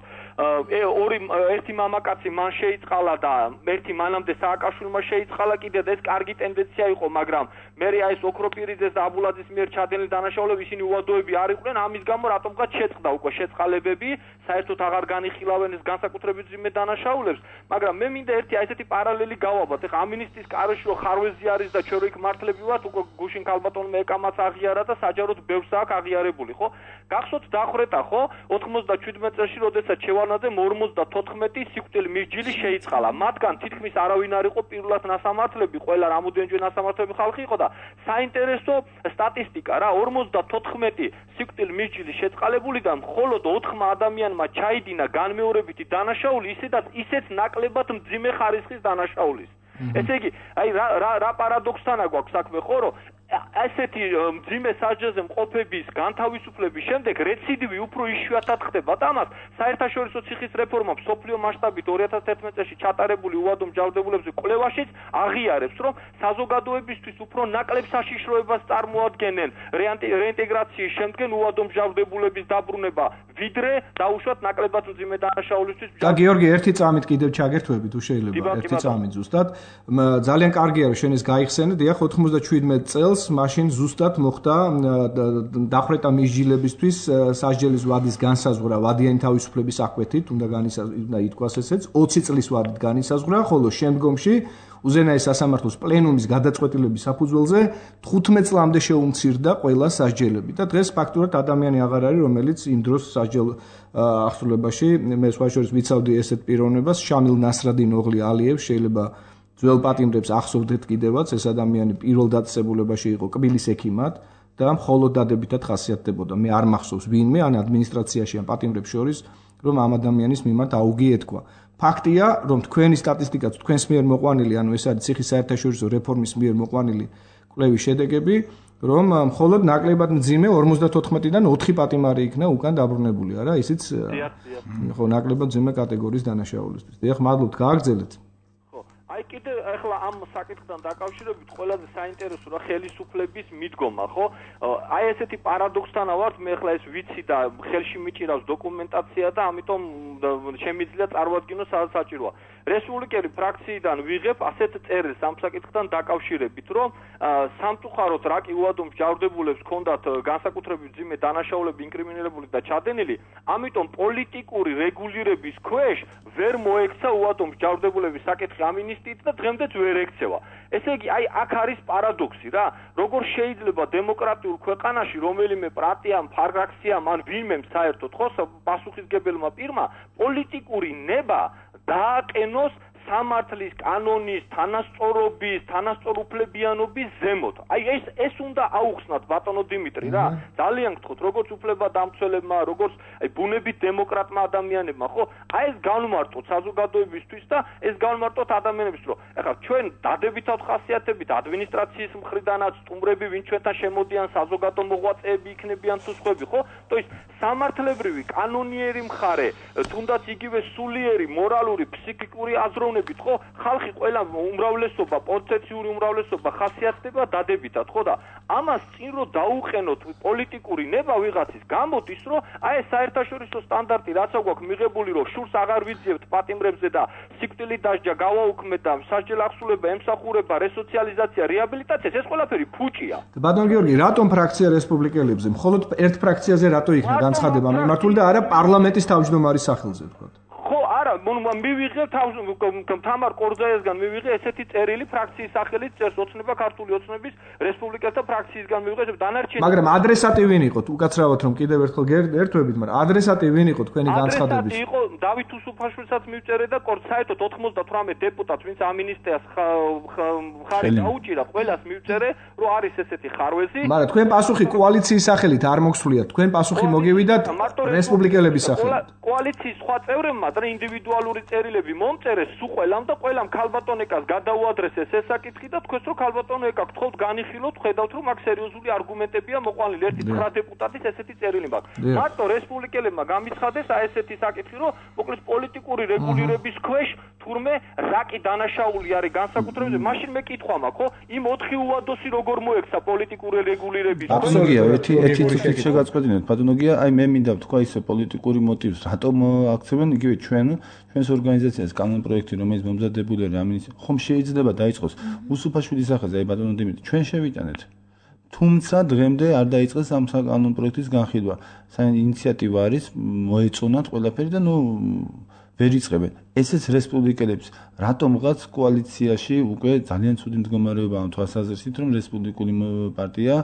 ერთი მამაკაცი მან შეიწყალა და ერთი მანამდე სააკაშვილმა შეიწყალა კიდე და ეს კარგი ტენდენცია იყო, მაგრამ მე ეს ოქროპირიძეს და აბულაძის მიერ ჩადენილი დანაშაულები ისინი უვადოები არ იყვნენ, ამის გამო რატომღაც შეწყდა უკვე შეწყალებები, საერთოდ აღარ განიხილავენ ეს განსაკუთრებით ძიმე დანაშაულებს, მაგრამ მე მინდა ერთი ესეთი პარალელი გავაბათ. ეხა ამინისტიის კაროში რო ხარვეზი არის და ჩვენ რო იქ მართლები ვართ, უკვე გუშინ ქალბატონმა ეკამაც აღიარა და საჯაროდ ბევრს აქვს აღიარებული, ხო? გახსოვთ დახრეტა, ხო? 97 წელს, როდესაც შევარნაძემ 54 სიკვდილი მისჯილი შეიწყალა. მათგან თითქმის არავინ არ იყო პირველად ნასამართლები, ყველა რამოდენჯერ ნასამართლები ხალხი იყო და საინტერესო სტატისტიკა რა, 54 სიკვდილი მისჯილი შეწყალებულიდან მხოლოდ 4 ადამიანმა ჩაიდინა განმეორებითი დანაშაული, ისეც ნაკლებად მძიმე ხარისხის დანაშაულის. ესე იგი, აი რა პარადოქსთანა გვაქვს საქმე, ხო, რომ ასეთი მძიმე სასჯელზე მყოფების განთავისუფლების შემდეგ რეციდივი უფრო იშვიათად ხდება და ამას საერთაშორისო ციხის რეფორმა მსოფლიო მასშტაბით 2011 წელს ჩატარებული უვადო მსჯავრდებულებზე კვლევაშიც აღიარებს, რომ საზოგადოებისთვის უფრო ნაკლებ საშიშროებას წარმოადგენენ რეინტეგრაციის შემდგენ უვადო მსჯავრდებულების დაბრუნება, ვიდრე დაუშვათ ნაკლებად მძიმე დანაშაულისთვის. და გიორგი, ერთი წამით კიდევ ჩაგერთვები თუ შეიძლება, ერთი წამით ზუსტად. ძალიან კარგია რომ შენ ეს გაიხსენე, დიახ 97 წელს მაშინ ზუსტად მოხდა დახრეტა მისჯილებისთვის სასჯელის ვადის განსაზღვრა ვადიანი თავისუფლების აკვეთით, უნდა ითქვას ესეც 20 წლის ვადით განისაზღვრა, ხოლო შემდგომში უზენაეს სასამართლოს პლენუმის გადაწყვეტილების საფუძველზე 15 წლამდე შეუმცირდა ყველა სასჯელები და დღეს ფაქტურად ადამიანი აღარ არის, რომელიც იმ დროს სასჯელ აღსრულებაში მე სხვა შორის ვიცავდი ესეთ პიროვნებას, შამილ ნასრადინ ოღლი ალიევს, შეიძლება ძველ პატიმრებს ახსოვდეთ კიდევაც, ეს ადამიანი პირველ დაწესებულებაში იყო კბილის ექიმად და მხოლოდ დადებითად ხასიათდებოდა. მე არ მახსოვს ვინმე ან ადმინისტრაციაში ან პატიმრებს შორის, რომ ამ ადამიანის მიმართ აუგი ეთქვა. ფაქტია, რომ თქვენი სტატისტიკაც თქვენს მიერ მოყვანილი, ანუ ეს არის ციხის საერთაშორისო რეფორმის მიერ მოყვანილი კვლევის შედეგები, რომ მხოლოდ ნაკლებად მძიმე 54-დან 4 პატიმარი იქნა უკან დაბრუნებული, არა, ისიც ხო ნაკლებად მძიმე კატეგორიის დანაშაულისთვის. დიახ, მადლობთ, გააგრძელეთ. აი კიდე ახლა ამ საკითხთან დაკავშირებით ყველაზე საინტერესო რა ხელისუფლების მიდგომა, ხო? აი ესეთი პარადოქსთანა ვართ, მე ახლა ეს ვიცი და ხელში მიჭირავს დოკუმენტაცია და ამიტომ შემიძლია წარვადგინო სადაც საჭიროა. რესპუბლიკელი ფრაქციიდან ვიღებ ასეთ წერილს ამ საკითხთან დაკავშირებით, რომ სამწუხაროდ რაკი უადო მსჯავრდებულებს ჰქონდათ განსაკუთრებით მძიმე დანაშაულები ინკრიმინირებული და ჩადენილი, ამიტომ პოლიტიკური რეგულირების ქვეშ ვერ მოექცა უადო მსჯავრდებულების საკითხი ამინისტიით და დღემდეც ვერ ექცევა. ესე იგი, აი აქ არის პარადოქსი რა, როგორ შეიძლება დემოკრატიულ ქვეყანაში რომელიმე პარტიამ, ფრაქციამ ან ვინმემ საერთოდ ხო პასუხისგებელმა პირმა პოლიტიკური ნება დააყენოს სამართლის კანონის თანასწორობის, თანასწორუფლებიანობის ზემოთ. აი ეს უნდა აუხსნათ ბატონო დიმიტრი რა. ძალიან გთხოვთ, როგორც უფლებადამცველებმა, როგორც აი ბუნებით დემოკრატმა ადამიანებმა, ხო? აი ეს განმარტოთ საზოგადოებისთვის და ეს განმარტოთ ადამიანებს, რომ ეხლა ჩვენ დადებითად ხასიათებით ადმინისტრაციის მხრიდანაც სტუმრები, ვინ ჩვენთან შემოდიან, საზოგადო მოღვაწეები იქნებიან თუ სხვები, ხო? То есть სამართლებრივი კანონიერი მხარე, თუნდაც იგივე სულიერი, მორალური, ფსიქიკური აზროვნებით ხო ხალხი ყველა უმრავლესობა პოზიციური უმრავლესობა ხასიათდება დადებითად ხო და ამას წინ რო დაუყენოთ პოლიტიკური ნება ვიღაცის გამოდის რომ აი ეს საერთაშორისო სტანდარტი რაც აქვს მიღებული რომ შურს აღარ ვიძიებთ პატიმრებზე და სიკვდილით დასჯა გავაუქმეთ და სასჯელ აღსრულება ემსახურება რესოციალიზაცია რეაბილიტაცია ეს ყველაფერი ფუჭია ბატონ გიორგი რატომ ფრაქცია რესპუბლიკელებზე მხოლოდ ერთ ფრაქციაზე რატო იქნა განცხადება მიმართული და არა პარლამენტის თავმჯდომარის სახელზე თქვა ხო არა მივიღე თამარ კორძაიასგან მივიღე ესეთი წერილი ფრაქციის სახელით წერს ოცნება ქართული ოცნების რესპუბლიკელთა ფრაქციისგან მივიღე დანარჩენი მაგრამ ადრესატი ვინ იყო უკაცრავად რომ კიდევ ერთხელ ერთვებით მაგრამ ადრესატი ვინ იყო თქვენი განცხადების ადრესატი იყო დავით უსუფაშვილსაც მივწერე და საერთოდ 98 დეპუტატს ვინც ამინისტრიას ხარი დაუჭირა ყველას მივწერე რომ არის ესეთი ხარვეზი მაგრამ თქვენ პასუხი კოალიციის სახელით არ მოგსვლიათ თქვენ პასუხი მოგივიდათ რესპუბლიკელების სახელით კოალიციის სხვა წევრებმა და ინდივიდუალური წერილები მომწერეს სულ ყველამ და ყველამ ქალბატონეკას გადაუადრესეს ეს საკითხი და თქვენს რომ ქალბატონეკა გთხოვთ განიხილოთ ხედავთ რომ აქ სერიოზული არგუმენტებია მოყვანილი ერთი 9 დეპუტატის ესეთი წერილი მაქვს მარტო რესპუბლიკელებმა გამიცხადეს აი ესეთი საკითხი რომ მოკლედ პოლიტიკური რეგულირების ქვეშ თურმე რაკი დანაშაული არის განსაკუთრებაზე მაშინ მე კითხვა მაქვს ხო იმ 4 უადოსი როგორ მოექცა პოლიტიკური რეგულირების აბსოლუტია ერთი წუთით შეგაწყვეტინეთ ბატონოგია აი მე მინდა ვთქვა ისე პოლიტიკური მოტივს რატომ აქცევენ იგივე ჩვენს ორგანიზაციას კანონპროექტი რომელიც მომზადებული არის ამინის ხომ შეიძლება დაიწყოს უსუფაშვილის სახელზე აი ბატონო დიმიტრი ჩვენ შევიტანეთ თუმცა დღემდე არ დაიწყეს ამ კანონპროექტის განხილვა საინიციატივა არის მოეწონათ ყველაფერი და ნუ ვერ იწყებენ ესეც რესპუბლიკელებს რატომღაც კოალიციაში უკვე ძალიან ცუდი მდგომარეობა ამ თვალსაზრისით რომ რესპუბლიკური პარტია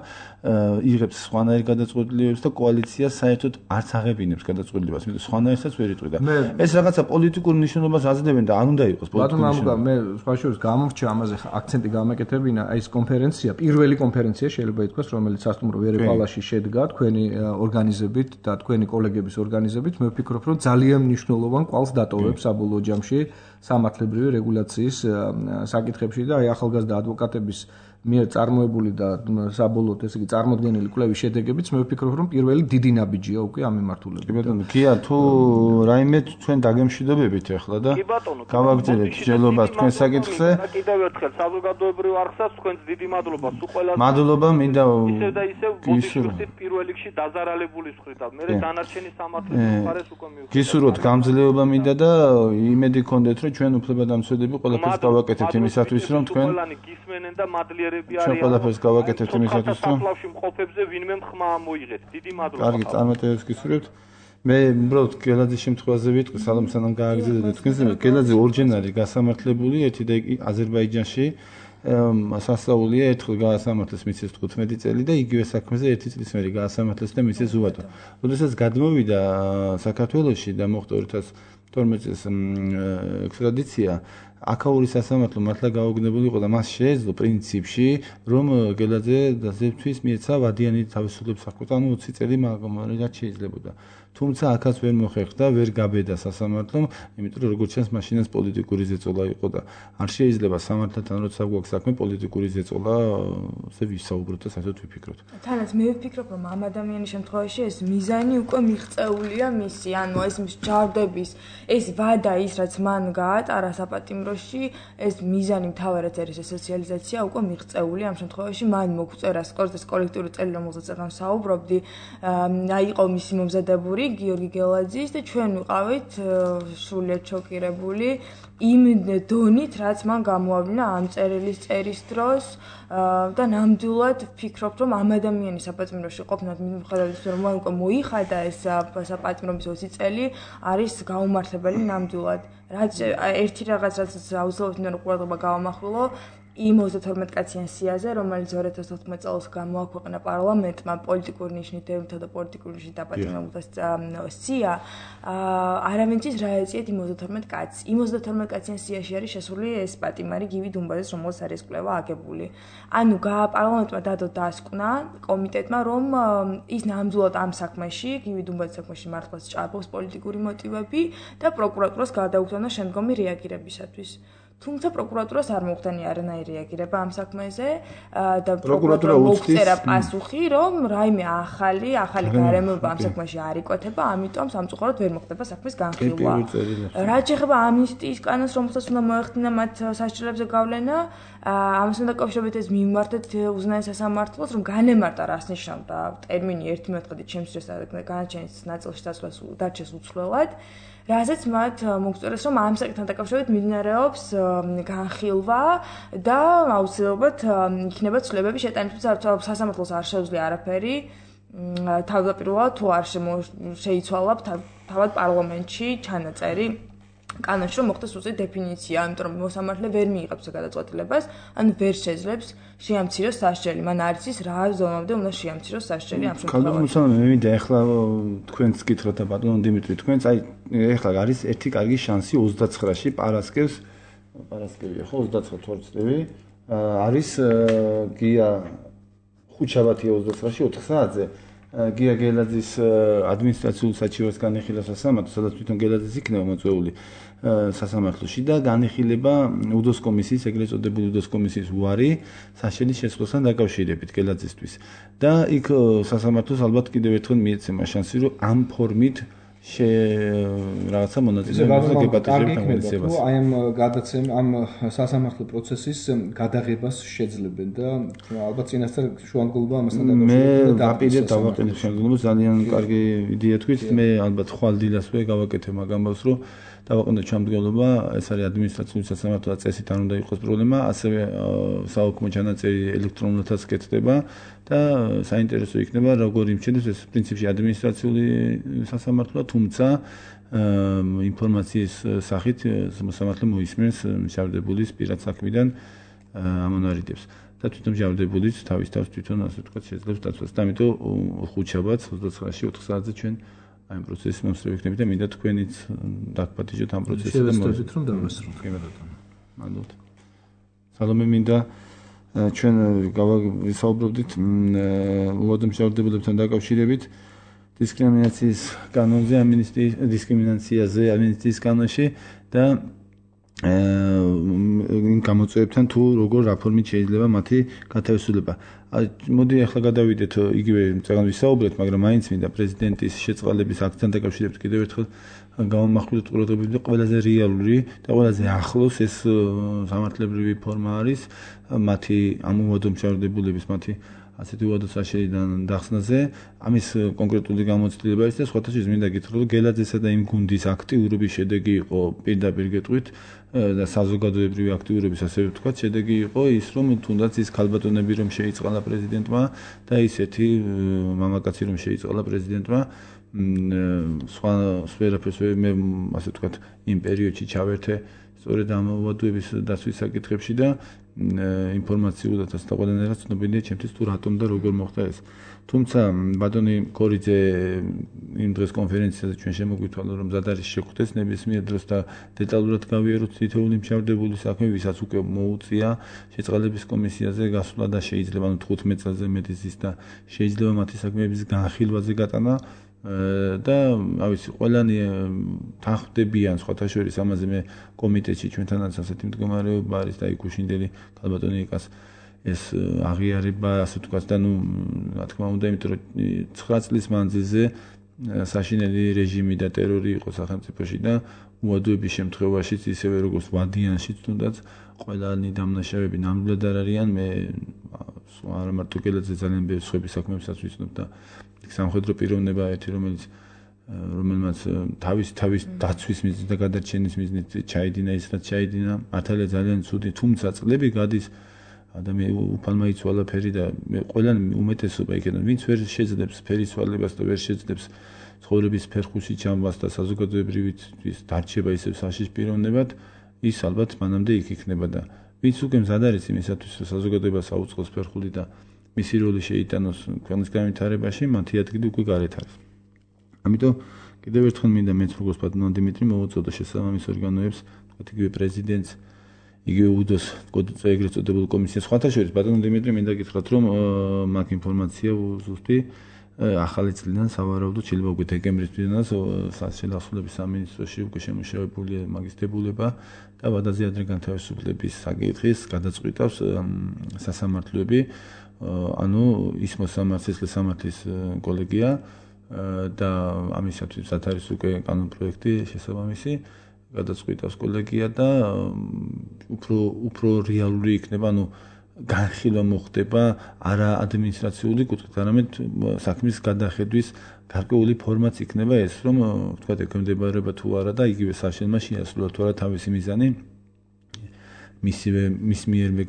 იღებს სხვანაირ გადაწყვეტილებებს და კოალიცია საერთოდ არც აღებინებს გადაწყვეტილებას იმიტომ სხვანაირსაც ვერ იტყვი და ეს რაღაცა პოლიტიკურ ნიშნულობას აძლევენ და არ უნდა იყოს პოლიტიკური ნიშნულობა მე სხვაშორის გამორჩა ამაზე აქცენტი გამეკეთებინა აი ეს კონფერენცია პირველი კონფერენცია შეიძლება ითქვას რომელიც სასტუმრო ვერეპალაში შედგა თქვენი ორგანიზებით და თქვენი კოლეგების ორგანიზებით მე ვფიქრობ რომ ძალიან მნიშვნელოვან კვალს დატოვებს საბოლოო ჯამში სამართლებრივი რეგულაციის საკითხებში და აი ახალგაზრდა ადვოკატების მიერ წარმოებული და საბოლოოდ ესე იგი წარმოდგენილი კვლევის შედეგებიც მე ვფიქრობ რომ პირველი დიდი ნაბიჯია უკვე ამ მიმართულებით. კი ბატონო, გია თუ რაიმე ჩვენ დაგემშვიდობებით ახლა და გავაგზავნეთ ჯელობას თქვენ საკითხზე. კიდევ ერთხელ საზოგადოებრივ არხსაც თქვენს დიდი მადლობა სულ ყველას. მადლობა მინდა ისევ და ისევ ბოდიშვილის პირველ რიგში დაზარალებული მხრიდან. მე დანარჩენი სამართლებრივ მხარეს უკვე მივხვდი. გისურვოთ გამძლეობა მინდა და იმედი გქონდეთ რომ ჩვენ უფლებადამცველები ყველაფერს გავაკეთებთ იმისათვის რომ თქვენ ყველანი გისმენენ და მადლიერები ჩვენ ყველაფერს გავაკეთებთ იმისათვის რომ საფლავში მყოფებზე ვინმე ხმა მოიღეთ. დიდი მადლობა. კარგი, წარმატებებს გისურვებთ. მე უბრალოდ გელაძის შემთხვევაზე ვიტყვი, სანამ გააგრძელოთ თქვენზე, გელაძე ორჯერ არის გასამართლებული, ერთი და იგი აზერბაიჯანში სასწაულია ერთხელ გაასამართლეს მისცეს 15 წელი და იგივე საქმეზე ერთი წლის მერე გაასამართლეს და მისცეს უვადო. როდესაც გადმოვიდა საქართველოში და მოხდა 2012 წელს ექსტრადიცია აქაური სასამართლო მართლა გაუგნებელი იყო და მას შეეძლო პრინციპში რომ გელაძე დაზებთვის მიეცა ვადიანი თავისუფლების საქმეთან 20 წელი მაგალითად შეიძლებოდა თუმცა აქაც ვერ მოხერხდა ვერ გაბედა სასამართლომ იმიტომ რომ როგორც ჩანს მაშინაც პოლიტიკური ზეწოლა იყო და არ შეიძლება სამართალთან როცა გვაქვს საქმე პოლიტიკური ზეწოლა ზე ვისაუბროთ და საერთოდ ვიფიქროთ თანაც მე ვფიქრობ რომ ამ ადამიანის შემთხვევაში ეს მიზანი უკვე მიღწეულია მისი ანუ ეს მსჯავრდების ეს ვადა ის რაც მან გაატარა საპატიმროში ეს მიზანი მთავარად არის სოციალიზაცია უკვე მიღწეული ამ შემთხვევაში მან მოგწერა სკოლას კოლექტიური წელი რომელზეც ახლა საუბრობდი აი იყო მისი მომზადებული გიორგი გელაძის და ჩვენ ვიყავით სრულიად შოკირებული იმ დონით რაც მან გამოავლინა ამ წერილის წერის დროს და ნამდვილად ვფიქრობ რომ ამ ადამიანის საპატიმროში ყოფნა მიუხედავად რომ მან უკვე მოიხადა ეს საპატიმრობის 20 წელი არის გაუმართლებელი ნამდვილად რაც ერთი რაღაც რაც აუცილებლად უნდა ყურადღება გავამახვილო იმ 32-კაციან სიაზე, რომელიც 2014 წელს გამოაქვეყნა პარლამენტმა პოლიტიკური ნიშნით დევნთა და პოლიტიკური ნიშნით დაპატიმრებულთა სია, არავინ იცის რა ეწიათ იმ 32 კაცს. იმ 32 კაციან სიაში არის შესული ეს პატიმარი გივი დუმბაძეს, რომელსაც არის კვლევა აგებული. ანუ პარლამენტმა დადო დასკვნა კომიტეტმა, რომ ის ნამდვილად ამ საქმეში, გივი დუმბაძის საქმეში მართლაც ჭარბობს პოლიტიკური მოტივები და პროკურატურას გადაუხდენა შემდგომი რეაგირებისათვის. თუმცა პროკურატურას არ მოხდენია არანაირი რეაგირება ამ საქმეზე და პროკურატურა უწევს პასუხი, რომ რაიმე ახალი გარემოება ამ საქმეში არ იკვეთება, ამიტომ სამწუხაროდ ვერ მოხდება საქმის განხილვა. რაც შეეხება ამნისტიის კანონს, რომელსაც უნდა მოეხდინა მათ სასჯელებზე გავლენა, ამასთან დაკავშირებით ეს მიმართეთ უზენაეს სასამართლოს, რომ განემარტა რას ნიშნავდა ტერმინი 1 მეტრით შემცირეს და განაჩენის ნაწილში დაცვას დარჩეს უცვლელად. რასაც მათ მოგწერეს, რომ ამ საკითხთან დაკავშირებით მიმდინარეობს განხილვა და აუცილებლად იქნება ცვლილებები შეტანილი, თუმცა სასამართლოს არ შეუძლია არაფერი. თავდაპირველად თუ არ შეიცვალა თავად პარლამენტში ჩანაწერი კანონში, რომ მოხდეს უწევი დეფინიცია, ამიტომ რომ მოსამართლე ვერ მიიღებს გადაწყვეტილებას, ანუ ვერ შეძლებს შეამციროს სასჯელი. მან არ იცის რა ზომამდე უნდა შეამციროს სასჯელი ამ შემთხვევაში. კალდომუსა მე მინდა ახლა თქვენს გითხრათ და ბატონო დიმიტრი თქვენს ახლა არის ერთი კარგი შანსი 29-ში პარასკევია ხო 29 თორწლივი არის გია ხუჩაბათია 29-ში 4 საათზე გია გელაძის ადმინისტრაციულ საჩივარს განიხილა სასამართლო, სადაც თვითონ გელაძის იქნება მოწვეული სასამართლოში და განიხილება უდოს კომისიის, ეგრეთ წოდებული უდოს კომისიის უარი სასჯელის შესვლასთან დაკავშირებით გელაძისთვის. და იქ სასამართლოს ალბათ კიდევ ერთხელ მიეცემა შანსი, რომ ამ ფორმით რაღაცა მონაწილეობას და გეპატიჟებთან მოიცებას. აი ამ გადაცემ ამ სასამართლო პროცესის გადაღებას შეძლებენ და ალბათ წინასწარ შუანგულობა ამასთან დაკავშირებით. მე დაპირებ დავაყენებ შუანგულობას, ძალიან კარგი იდეა თქვით. მე ალბათ ხვალ დილასვე გავაკეთე მაგ ამბავს, რომ დავაყენოთ ჩამდგომლობა, ეს არის ადმინისტრაციული სასამართლო და წესით არ უნდა იყოს პრობლემა, ასევე საოქრო ჩანაწერი ელექტრონულადაც კეთდება და საინტერესო იქნება როგორ იმჩნევს ეს პრინციპში ადმინისტრაციული სასამართლოა, თუმცა ინფორმაციის სახით მოსამართლე მოისმენს მჟავდებულის პირად საქმიდან ამონარიდებს და თვითონ მჟავდებულიც თავის თავს თვითონ ასე ვთქვათ შეძლებს დაცვას. და ამიტომ ხუთშაბათს 29-ში 4 საათზე ჩვენ აი ამ პროცესის მომსწრე ვიქნები და მინდა თქვენიც დაგპატიჟოთ ამ პროცესს და შევესწრებით რომ დავასრულოთ. კი ბატონო. მადლობთ. სალომე მინდა ჩვენ გავისაუბრებდით უადო მჟავდებულებთან დაკავშირებით დისკრიმინაციის კანონზე, დისკრიმინაციაზე ამინისტიის კანონში და იმ გამოწვევებთან თუ როგორ რაფორმით შეიძლება მათი გათავისუფლება. მოდი ახლა გადავიდეთ იგივე წეგან ვისაუბრეთ, მაგრამ მაინც მინდა პრეზიდენტის შეწყალების აქტთან დაკავშირებით კიდევ ერთხელ გამომახვილოთ ყურადღებით, ყველაზე რეალური და ყველაზე ახლოს ეს სამართლებრივი ფორმა არის მათი ამ უადო მჟავდებულების მათი ასეთი უადო საშერიდან დახსნაზე. ამის კონკრეტული გამოცდილება არის და სხვათა შორის მინდა გითხრათ, რომ გელაძესა და იმ გუნდის აქტიურობის შედეგი იყო პირდაპირ გეტყვით და საზოგადოებრივი აქტიურობის ასე ვთქვათ, შედეგი იყო ის, რომ თუნდაც ის ქალბატონები რომ შეიწყალა პრეზიდენტმა და ისეთი მამაკაცი რომ შეიწყალა პრეზიდენტმა სხვა სფეროფეს მე ასე ვთქვათ იმ პერიოდში ჩავერთე სწორედ ამ უადოების დაცვის საკითხებში და ინფორმაციულადაც და ყველანაირად ცნობილია ჩემთვის თუ რატომ და როგორ მოხდა ეს. თუმცა ბატონი კორიძე იმ დღეს კონფერენციაზე ჩვენ შემოგვითვალა რომ მზად არის შეხვდეს ნებისმიერ დროს და დეტალურად გავიაროთ თითოეული მჟავდებული საქმე, ვისაც უკვე მოუწია შეწყალების კომისიაზე გასვლა და შეიძლება 15 წელზე მეტი ზის და შეიძლება მათი საქმეების განხილვაზე გატანა და ავიცი ყველანი თანხმდებიან სხვათა შორის ამაზე მე კომიტეტში ჩვენთანაც ასეთი მდგომარეობა არის და იკუშინდელი ქალბატონი იკას ეს აღიარება ასე ვთქვათ და რა თქმა უნდა იმიტომ რომ 9 წლის მანძილზე საშინელი რეჟიმი და ტერორი იყო სახელმწიფოში და უადოების შემთხვევაშიც ისევე როგორც ვადიანშიც თუნდაც ყველანი დამნაშავეები ნამდვილად არ არიან მე არა მარტო გელაძე ძალიან ბევრი სხვები საქმეებსაც ვიცნობ და სამხედრო პიროვნება ერთი რომელმაც თავის დაცვის მიზნით და გადარჩენის მიზნით ჩაიდინა ის რაც ჩაიდინა მართალია ძალიან ცუდი თუმცა წლები გადის ადამიანი უფალმა იცვალა ფერი და ყველანი უმეტესობა იქიდან ვინც ვერ შეძლებს ფერის ცვალებას და ვერ შეძლებს ცხოვრების ფერხუსი ჩამბას და საზოგადოებრივი დარჩება ისევ საშიშ პიროვნებად ის ალბათ მანამდე იქ იქნება და ვინც უკვე მზად არის იმისათვის, რომ საზოგადოებას აუწყოს ფერხული და მისი როლი შეიტანოს ქვეყნის განვითარებაში, მათი ადგილი უკვე გარეთ არის. ამიტომ კიდევ ერთხელ მინდა მეც როგორც პატიმრობ დიმიტრი მოვუწოდო შესაბამის ორგანოებს, თქვათ იგივე პრეზიდენტს, იგივე უდოს ეგრეთ წოდებულ კომისიას. სხვათა შორის პატიმრობ დიმიტრი მინდა გითხრათ, რომ მაგ ინფორმაცია ზუსტი ახალი წლიდან სავარაუდოდ შეიძლება უკვე დეკემბრის თვიდან სახელმწიფოს სამინისტროში უკვე შემუშავებულია მაგის დებულება და ვადაზე ადრე განთავისუფლების საკითხის გადაწყვეტავს სასამართლოები, ანუ ის მოსამართლის კოლეგია და ამისათვის არის უკვე კანონპროექტი შესაბამისი გადაწყვეტავს კოლეგია და უფრო რეალური იქნება, ანუ განხილვა მოხდება არა ადმინისტრაციული კუთხით, არამედ საქმის გადახედვის გარკვეული ფორმაც იქნება ეს, რომ თქვა ექვემდებარება თუ არა და იგივე საშენმა შეასრულა თუ არა თავისი მიზანი მის მიერვე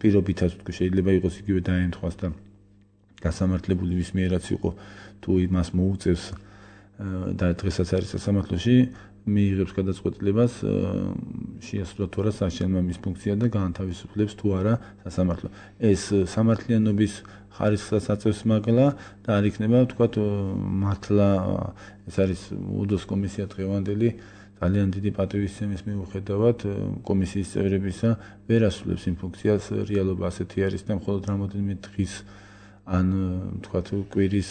პირობითაც თქვა შეიძლება იყოს იგივე დაემთხვას და გასამართლებული ვის მიერაც იყო თუ იმას მოუწევს და დღესაც არის სასამართლოში მიიღებს გადაწყვეტილებას შეასრულა თუ არა საშენმა მის ფუნქცია და გაანთავისუფლებს თუ არა სასამართლო. ეს სამართლიანობის ხარისხს აწევს მაგლა და არ იქნება ვთქვათ მართლა ეს არის უდოს კომისია დღევანდელი ძალიან დიდი პატივისცემის მიუხედავად კომისიის წევრებისა ვერ ასრულებს იმ ფუნქციას, რეალობა ასეთი არის და მხოლოდ რამოდენიმე დღის ან ვთქვათ კვირის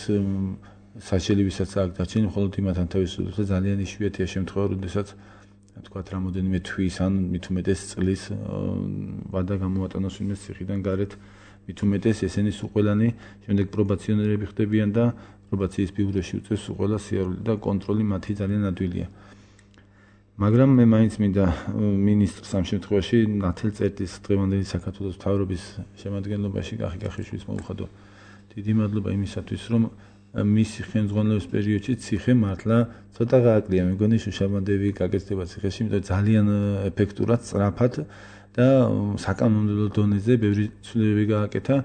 საშელებისაც აქ დარჩენ მხოლოდ იმათთან თავისუფლებს და ძალიან იშვიათია შემთხვევა, როდესაც თქვათ რამოდენიმე თვის ან მით უმეტეს წლის ვადა გამოატანოს ვინმეს ციხიდან გარეთ, მით უმეტეს ესენი სულყველანი შემდეგ პრობაციონერები ხდებიან და პრობაციის ბიუროში უწევს სულყველა სიარული და კონტროლი მათი ძალიან ადვილია. მაგრამ მე მაინც მინდა მინისტრს ამ შემთხვევაში ნათელ წერტის დღევანდელი საქართველოს მთავრობის შემადგენლობაში კახი კახიშვილის მოუხადო დიდი მადლობა იმისათვის, რომ მისი ხელმძღვანელობის პერიოდში ციხე მართლა ცოტა გააკლია. მეგონი შუშაბანდები გაგეცდება ციხეში, იმიტომ ძალიან ეფექტურად, სწრაფად და საკანონმდებლო დონეზე ბევრი ცვლილებები გააკეთა.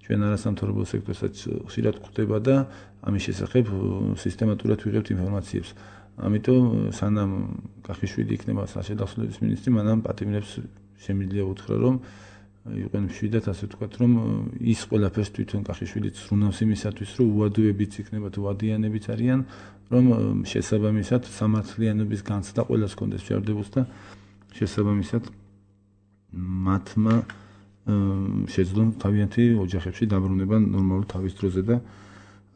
ჩვენ არასამთავრობო სექტორსაც ხშირად გვხვდება და ამის შესახებ სისტემატურად ვიღებთ ინფორმაციებს. ამიტომ სანამ კახიშვილი იქნება საშედახსოვრების მინისტრი, მანამ პატიმრებს შემიძლია უთხრა, რომ იყვენ მშვიდად, ასე ვთქვათ, რომ ის ყველაფერს თვითონ კახიშვილიც ზრუნავს იმისათვის, რომ უადოებიც იქნება თუ ვადიანებიც არიან, რომ შესაბამისად სამართლიანობის განცდა ყველას კონდეს შეარდებულს და შესაბამისად მათმა შეძლონ თავიანთი ოჯახებში დაბრუნება ნორმალურ თავის დროზე და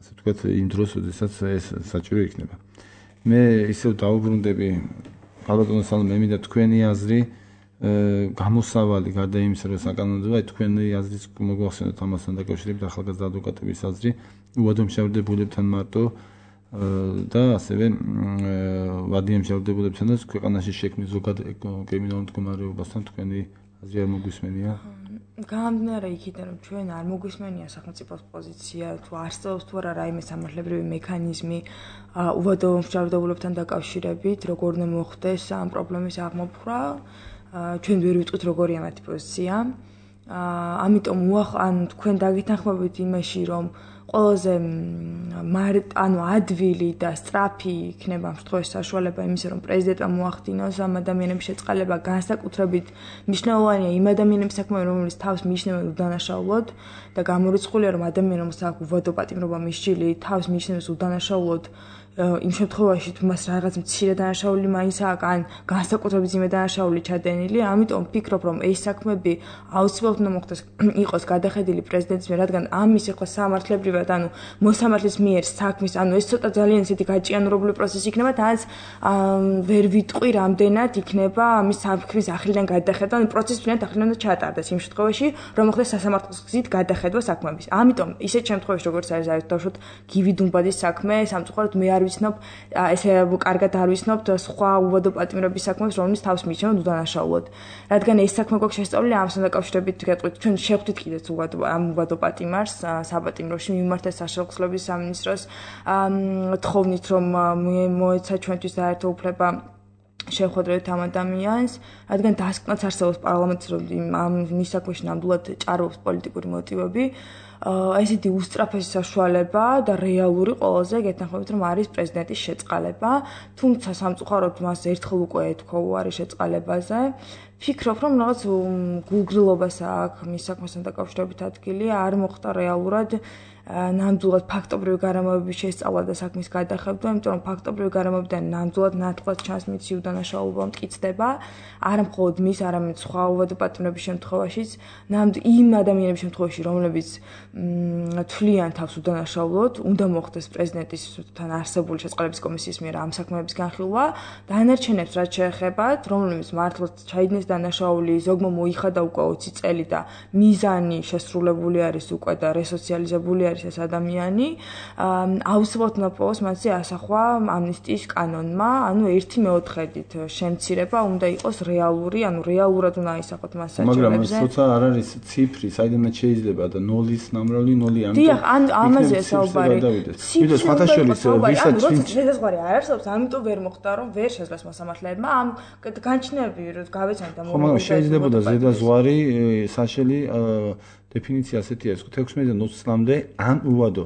ასე ვთქვათ, იმ დროს, როდესაც ეს საჭირო იქნება. მე ისევ დავუბრუნდები ალბათ მე მინდა თქვენი აზრი გამოსავალი გარდა იმისა, რომ საკანონმდებლო თქვენი აზრიც მოგვახსენოთ ამასთან დაკავშირებით ახალგაზრდა ადვოკატების აზრი უადო მშავდებულებთან მარტო და ასევე ვადიან მშავდებულებთანაც ქვეყანაში შექმნის ზოგად კრიმინალურ მდგომარეობასთან თქვენი აზრი არ მოგვისმენია? გამომდინარე იქიდან, რომ ჩვენ არ მოგვისმენია სახელმწიფოს პოზიცია, თუ არსებობს თუ არა რაიმე სამართლებრივი მექანიზმი უვადო მშავდებულებთან დაკავშირებით, როგორ უნდა მოხდეს ამ პრობლემის აღმოფხვრა, ჩვენ ვერ ვიტყვით როგორია მათი პოზიცია. ამიტომ ან თქვენ დაგეთანხმებით იმაში, რომ ყველაზე ადვილი და სწრაფი იქნება ამ შემთხვევაში საშუალება იმისა, რომ პრეზიდენტმა მოახდინოს ამ ადამიანების შეწყალება, განსაკუთრებით მნიშვნელოვანია იმ ადამიანების საქმე, რომლებიც თავს მიიჩნევენ უდანაშაულოდ და გამორიცხულია, რომ ადამიანი, რომელსაც აქვს უვადო პატიმრობა მისჯილი, თავს მიიჩნევს უდანაშაულოდ იმ შემთხვევაში თუ მას რაღაც მცირე დანაშაული მაინც აქვს ან განსაკუთრებით ძიმე დანაშაული ჩადენილი, ამიტომ ვფიქრობ, რომ ეს საქმეები აუცილებლად უნდა მოხდეს იყოს გადახედილი პრეზიდენტის მიერ, რადგან ამის ახლა სამართლებრივად, ანუ მოსამართლის მიერ საქმის, ანუ ეს ცოტა ძალიან ისეთი გაჭიანურებული პროცესი იქნება, თანაც ვერ ვიტყვი რამდენად იქნება ამის საქმის ახლიდან გადახედვა, ანუ პროცესი ფინალურად ახლიდან უნდა ჩაატარდეს იმ შემთხვევაში, რომ მოხდეს სასამართლოს გზით გადახედვა საქმეების. ამიტომ ისეთ შემთხვევაში, როგორც არის დავუშვათ გივი დუმბაძის საქმე, სამწუხაროდ მე არ ვიცნობ, ესე კარგად არ ვიცნობთ სხვა უვადო პატიმრების საქმეს, რომლის თავს მიიჩნევენ უდანაშაულოდ. რადგან ეს საქმე გვაქვს შესწავლილი, ამასთან დაკავშირებით გეტყვით, ჩვენ შევხვდით კიდეც ამ უვადო პატიმარს საპატიმროში მიმართეს საშეხვსლების სამინისტროს თხოვნით, რომ მოეცა ჩვენთვის დაერთო უფლება შეხვედრებით ამ ადამიანს, რადგან დასკვნაც არსებობს პარლამენტის, რომ ამ მის საქმეში ნამდვილად ჭარბობს პოლიტიკური მოტივები. ესეთი უსწრაფესი საშუალება და რეალური ყველაზე გეთანხმებით რომ არის პრეზიდენტის შეწყალება, თუმცა სამწუხაროდ მას ერთხელ უკვე ეთქვა უარი შეწყალებაზე. ფიქრობ რომ რაღაც გულგრილობას აქვს მის საქმესთან დაკავშირებით ადგილი, არ მოხდა რეალურად ნამდვილად ფაქტობრივი გარემოების შესწავლა და საქმის გადახევდა, იმიტომ რომ ფაქტობრივი გარემოებიდან ნამდვილად ნათლად ჩანს მის უდანაშაულობა მტკიცდება, არა მხოლოდ მის, არამედ სხვა უდაპატიმრების შემთხვევაშიც, იმ ადამიანების შემთხვევაში, რომლებიც თვლიან თავს უდანაშაულოდ, უნდა მოხდეს პრეზიდენტისთან არსებული შეწყალების კომისიის მიერ ამ საქმეების განხილვა, დანარჩენებს რაც შეეხებათ, რომლებიც მართლაც ჩაიდგინეს დანაშაული, ზოგმა მოიხადა უკვე 20 წელი და მიზანი შესრულებული არის უკვე და რესოციალიზებული არის ეს ადამიანი, აუცილებლად უნდა პოვოს მასზე ასახვა ამნისტიის კანონმა, ანუ 1/4-ით შემცირება უნდა იყოს რეალური, ანუ რეალურად უნდა აისახოთ მას საჭიროებზე. მაგრამ ეს თორსა არ არის ციფრი, საიდანაც შეიძლება და 0-ის ნამრავლი 0 ამიტომ. დიახ, ამაზე საუბარი. ვიდრე სხვათა შორის ვისაც ვინც შესაძლებელი არ არსებობს, ამიტომ ვერ მოხდა რომ ვერ შეძლეს მოსამართლეებმა ამ განჩნევები რომ გავეცანით და მაგრამ შეიძლება და ზედაზღვარი საშელი დეფინიცია ასეთი არის 16-დან 20-მდე ან უვადო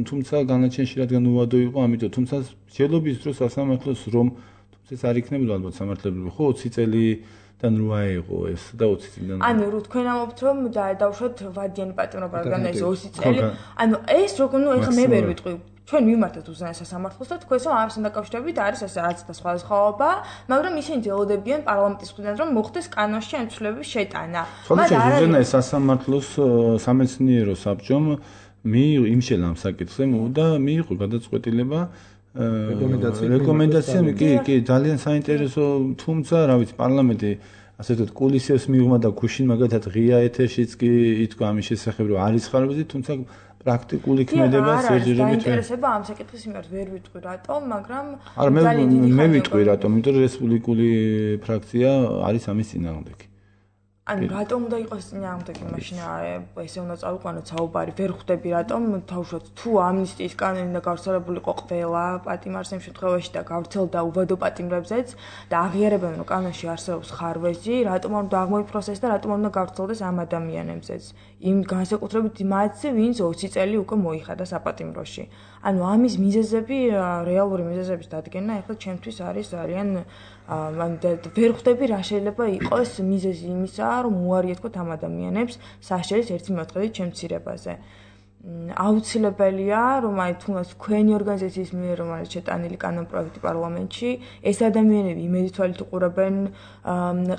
თუმცა განაჩენში რადგან უვადო იყო ამიტომ თუმცა შეძლობის დროს სასამართლოს რომ თუმცა ეს არ იქნებოდა ალბათ სამართლებრივი ხო 20 წელიდან რო აიღო ეს და 20 წლიდან ანუ რო თქვენ ამობთ რომ დავუშვათ ვადიანი პატიმრობა რადგან ეს 20 წელი ანუ ეს როგორ ნუ ეხლა მე ვერ ვიტყვი ჩვენ მიმართეთ უზენაეს სასამართლოს და თქვენს რომ ამასთან დაკავშირებით არის ეს რაც და სხვადასხვაობა, მაგრამ ისინი ძელოდებიან პარლამენტის მხრიდან რომ მოხდეს კანონში ამ ცვლილებების შეტანა. მაგრამ უზენაეს სასამართლოს სამეცნიერო საბჭომ იმ შენამ საკითხზე და მიიღო გადაწყვეტილება რეკომენდაცია კი ძალიან საინტერესო თუმცა რა ვიცი პარლამენტი ასე ვთქვათ კულისებს მიიღმა და გუშინ მაგათად ღია ეთერშიც კი ითქვა ამის შესახებ რომ არის ხარებაზე თუმცა პრაქტიკული ქმედება სერიოზულად დაინტერესება ამ საკითხის მიმართ ვერ ვიტყვი რატომ, მაგრამ მე ვიტყვი რატომ, იმიტომ რომ რესპუბლიკური ფრაქცია არის ამის წინააღმდეგი. ანუ რატომ უნდა იყოს წინააღმდეგი მაშინ ესე უნდა წავიყვანოთ საუბარი, ვერ ხვდები რატომ თავშოთ თუ ამნისტიის კანონი და გავრცელებულიყო ყველა პატიმარს იმ შემთხვევაში და გავრცელდა უვადო პატიმრებზეც და აღიარებენ რომ კანონში არსებობს ხარვეზი, რატომ არ უნდა აღმოიფროს ეს და რატომ არ უნდა გავრცელდეს ამ ადამიანებზეც. იმ განსაკუთრებით იმათზე, ვინც 20 წელი უკვე მოიხადა საპატიმროში. ანუ ამის მიზეზები, რეალური მიზეზების დადგენა ახლა ჩემთვის არის ძალიან ვერ ხვდები რა შეიძლება იყოს მიზეზი იმისა, რომ უარი ეთქვათ ამ ადამიანებს საშერის 1/4-ით შემცირებაზე. აუცილებელია, რომ აი თუნდაც თქვენი ორგანიზაციის მიერ რომ არის შეტანილი კანონპროექტი პარლამენტში, ეს ადამიანები იმედით თვალით უყურებენ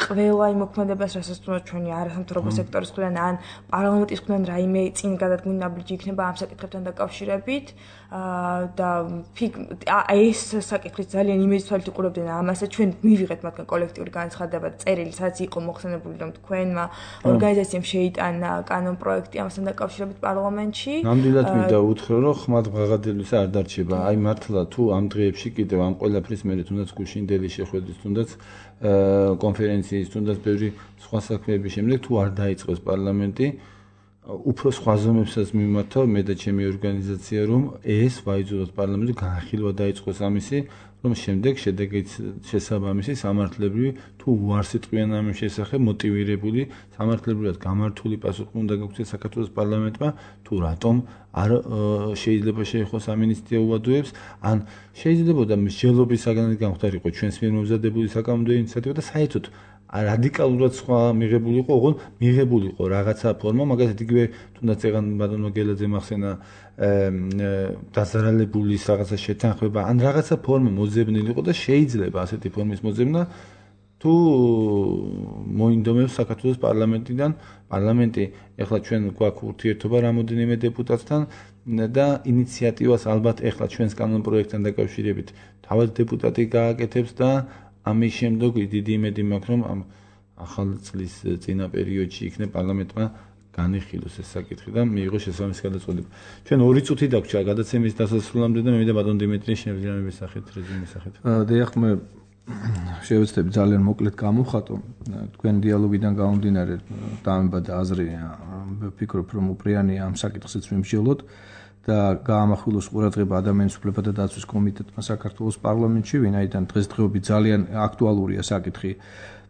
ყველა იმ მოქმედებას, რასაც თუნდაც ჩვენი არასამთავრობო სექტორის მხრიდან ან პარლამენტის მხრიდან რაიმე წინ გადადგმული ნაბიჯი იქნება ამ საკითხებთან დაკავშირებით და ეს საკითხის ძალიან იმედით თვალით უყურებდნენ ამასაც ჩვენ მივიღეთ მათგან კოლექტიური განცხადება და წერილი, სადაც იყო მოხსენებული, რომ თქვენმა ორგანიზაციამ შეიტანა კანონპროექტი ამასთან დაკავშირებით პარლამენტში. ნამდვილად მინდა უთხრა რომ ხმად ღაღადებისა არ დარჩება. აი მართლა თუ ამ დღეებში კიდევ ამ ყველაფრის მერე თუნდაც გუშინდელი შეხვედრის თუნდაც კონფერენციის თუნდაც ბევრი სხვა საქმეების შემდეგ თუ არ დაიწყოს პარლამენტი უფრო სხვა ზომებსაც მიმართავ მე და ჩემი ორგანიზაცია რომ ეს ვაიძულოთ პარლამენტი განხილვა დაიწყოს ამისი რომ შემდეგ შედეგით შესაბამისი სამართლებრივი თუ უარს იტყვიან ამის შესახებ მოტივირებული სამართლებრივად გამართული პასუხი უნდა გაგვცეს საქართველოს პარლამენტმა თუ რატომ არ შეიძლება შეეხოს ამინისტია უვადოებს ან შეიძლება და მსჯელობის საგანად გამختارიყო ჩვენს მიერ მომზადებული საკანონმდებლო ინიციატივა და საერთოდ რადიკალურად სხვა მიღებულიყო, ოღონდ მიღებულიყო რაღაცა ფორმა, მაგალითად იგივე თუნდაც ეგან ბატონმა გელაძე მახსენა დაზარალებული რაღაცა შეთანხმება, ან რაღაცა ფორმა მოძებნილიყო და შეიძლება ასეთი ფორმის მოძებნა თუ მოინდომებს საქართველოს პარლამენტიდან, პარლამენტი ეხლა ჩვენ გვაქვს ურთიერთობა რამოდენიმე დეპუტატთან და ინიციატივას ალბათ ეხლა ჩვენს კანონპროექტთან დაკავშირებით თავად დეპუტატი გააკეთებს და ამის შემდეგ დიდი იმედი მაქვს რომ ამ ახალ წლის წინა პერიოდში იქნება პარლამენტმა განიხილოს ეს საკითხი და მიიღოს შესაბამისი გადაწყვეტილება. ჩვენ 2 წუთი დაგვრჩა გადაცემის დასასრულამდე და მე მინდა ბატონ დიმიტრი შევძლებების სახით რეზუმის სახით. დიახ მე შევეცდები ძალიან მოკლედ გამოვხატო თქვენ დიალოგიდან გამომდინარე დამება და აზრი ვფიქრობ რომ უპრიანია ამ საკითხზეც ვიმსჯელოთ და გაამახვილოს ყურადღება ადამიანის უფლებათა დაცვის კომიტეტმა საქართველოს პარლამენტში, ვინაიდან დღესდღეობით ძალიან აქტუალურია საკითხი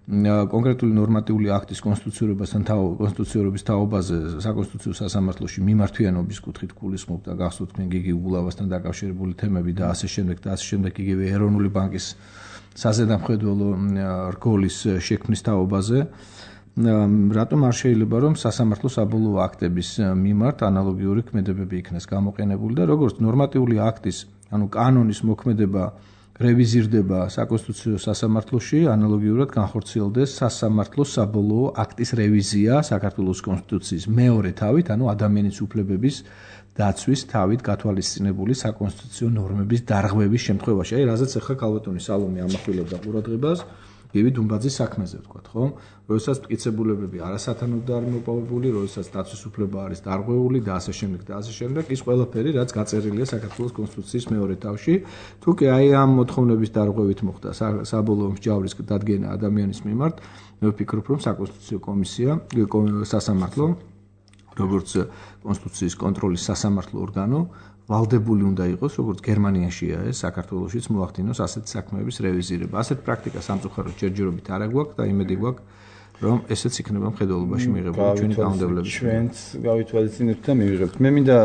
კონკრეტული ნორმატიული აქტის კონსტიტუციურობის თაობაზე საკონსტიტუციო სასამართლოში მიმართვიანობის კუთხით გულისხმობ და გახსოვთ თქვენ გიგი ულავასთან დაკავშირებული თემები და ასე შემდეგ იგივე ეროვნული ბანკის საზედამხედველო რგოლის შექმნის თაობაზე რატომ არ შეიძლება რომ სასამართლო საბოლოო აქტების მიმართ ანალოგიური ქმედებები იქნას გამოყენებული და როგორც ნორმატიული აქტის კანონის მოქმედება რევიზირდება საკონსტიტუციო სასამართლოში ანალოგიურად განხორციელდეს სასამართლოს საბოლოო აქტის რევიზია საქართველოს კონსტიტუციის მეორე თავით, ადამიანის უფლებების დაცვის თავით გათვალისწინებული საკონსტიტუციო ნორმების დარღვევის შემთხვევაში. აი, რაზეც ახლა ქალბატონი სალომე ამახვილებდა ყურადღებას, გივი დუმბაძის საქმეზე ვთქვათ, ხო? როდესაც მტკიცებულებები არასათანადო არ მოპოვებული, როდესაც დაცვის უფლება არის დარღვეული და ასე შემდეგ, ის ყველაფერი, რაც გაწერილია საქართველოს კონსტიტუციის მეორე თავში, თუ კი აი ამ მოთხოვნების დარღვევით მოხდა საბოლოო მსჯავრის დადგენა ადამიანის მიმართ, მე ვფიქრობ, რომ საკონსტიტუციო კომისია, სასამართლო, როგორც კონსტიტუციის კონტროლის სასამართლო ორგანო, ვალდებული უნდა იყოს, როგორც გერმანიაშია ეს, საქართველოშიც მოახდინოს ასეთი საქმეების რევიზირება. ასეთ პრაქტიკას სამწუხაროდ ჯერჯერობით არ აგვაქვს და იმედი გვაქვს, რომ ესეც იქნება მხედველობაში მიღებული ჩვენი კანონმდებლობის. ჩვენც გავითვალისწინებთ და მივიღებთ. მე მინდა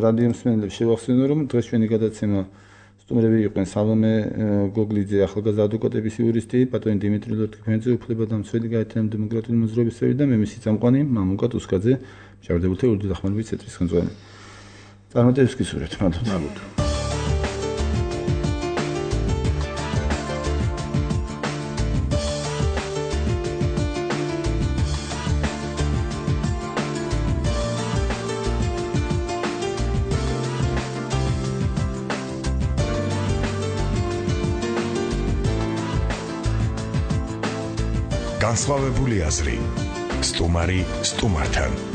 რადიო მსმენელებს შევახსენო, რომ დღეს ჩვენი გადაცემა სტუმრები იყვნენ სალომე გოგლიძე, ახალგაზრდა ადვოკატების იურისტი, პატრონი დიმიტრი ლორთქიფანიძე, უფლებადამცველი გაერთიანებული დემოკრატიული მოძრაობის წევრი და მე მისი წამყვანი მამუკა ტუსკაძე, მშავდებულთა ურდო დახმარების ცენტრის ხელმძღვანელი. წარმატებებს გისურვებთ, მადლობთ. განსხვავებული აზრი. სტუმარი სტუმართან.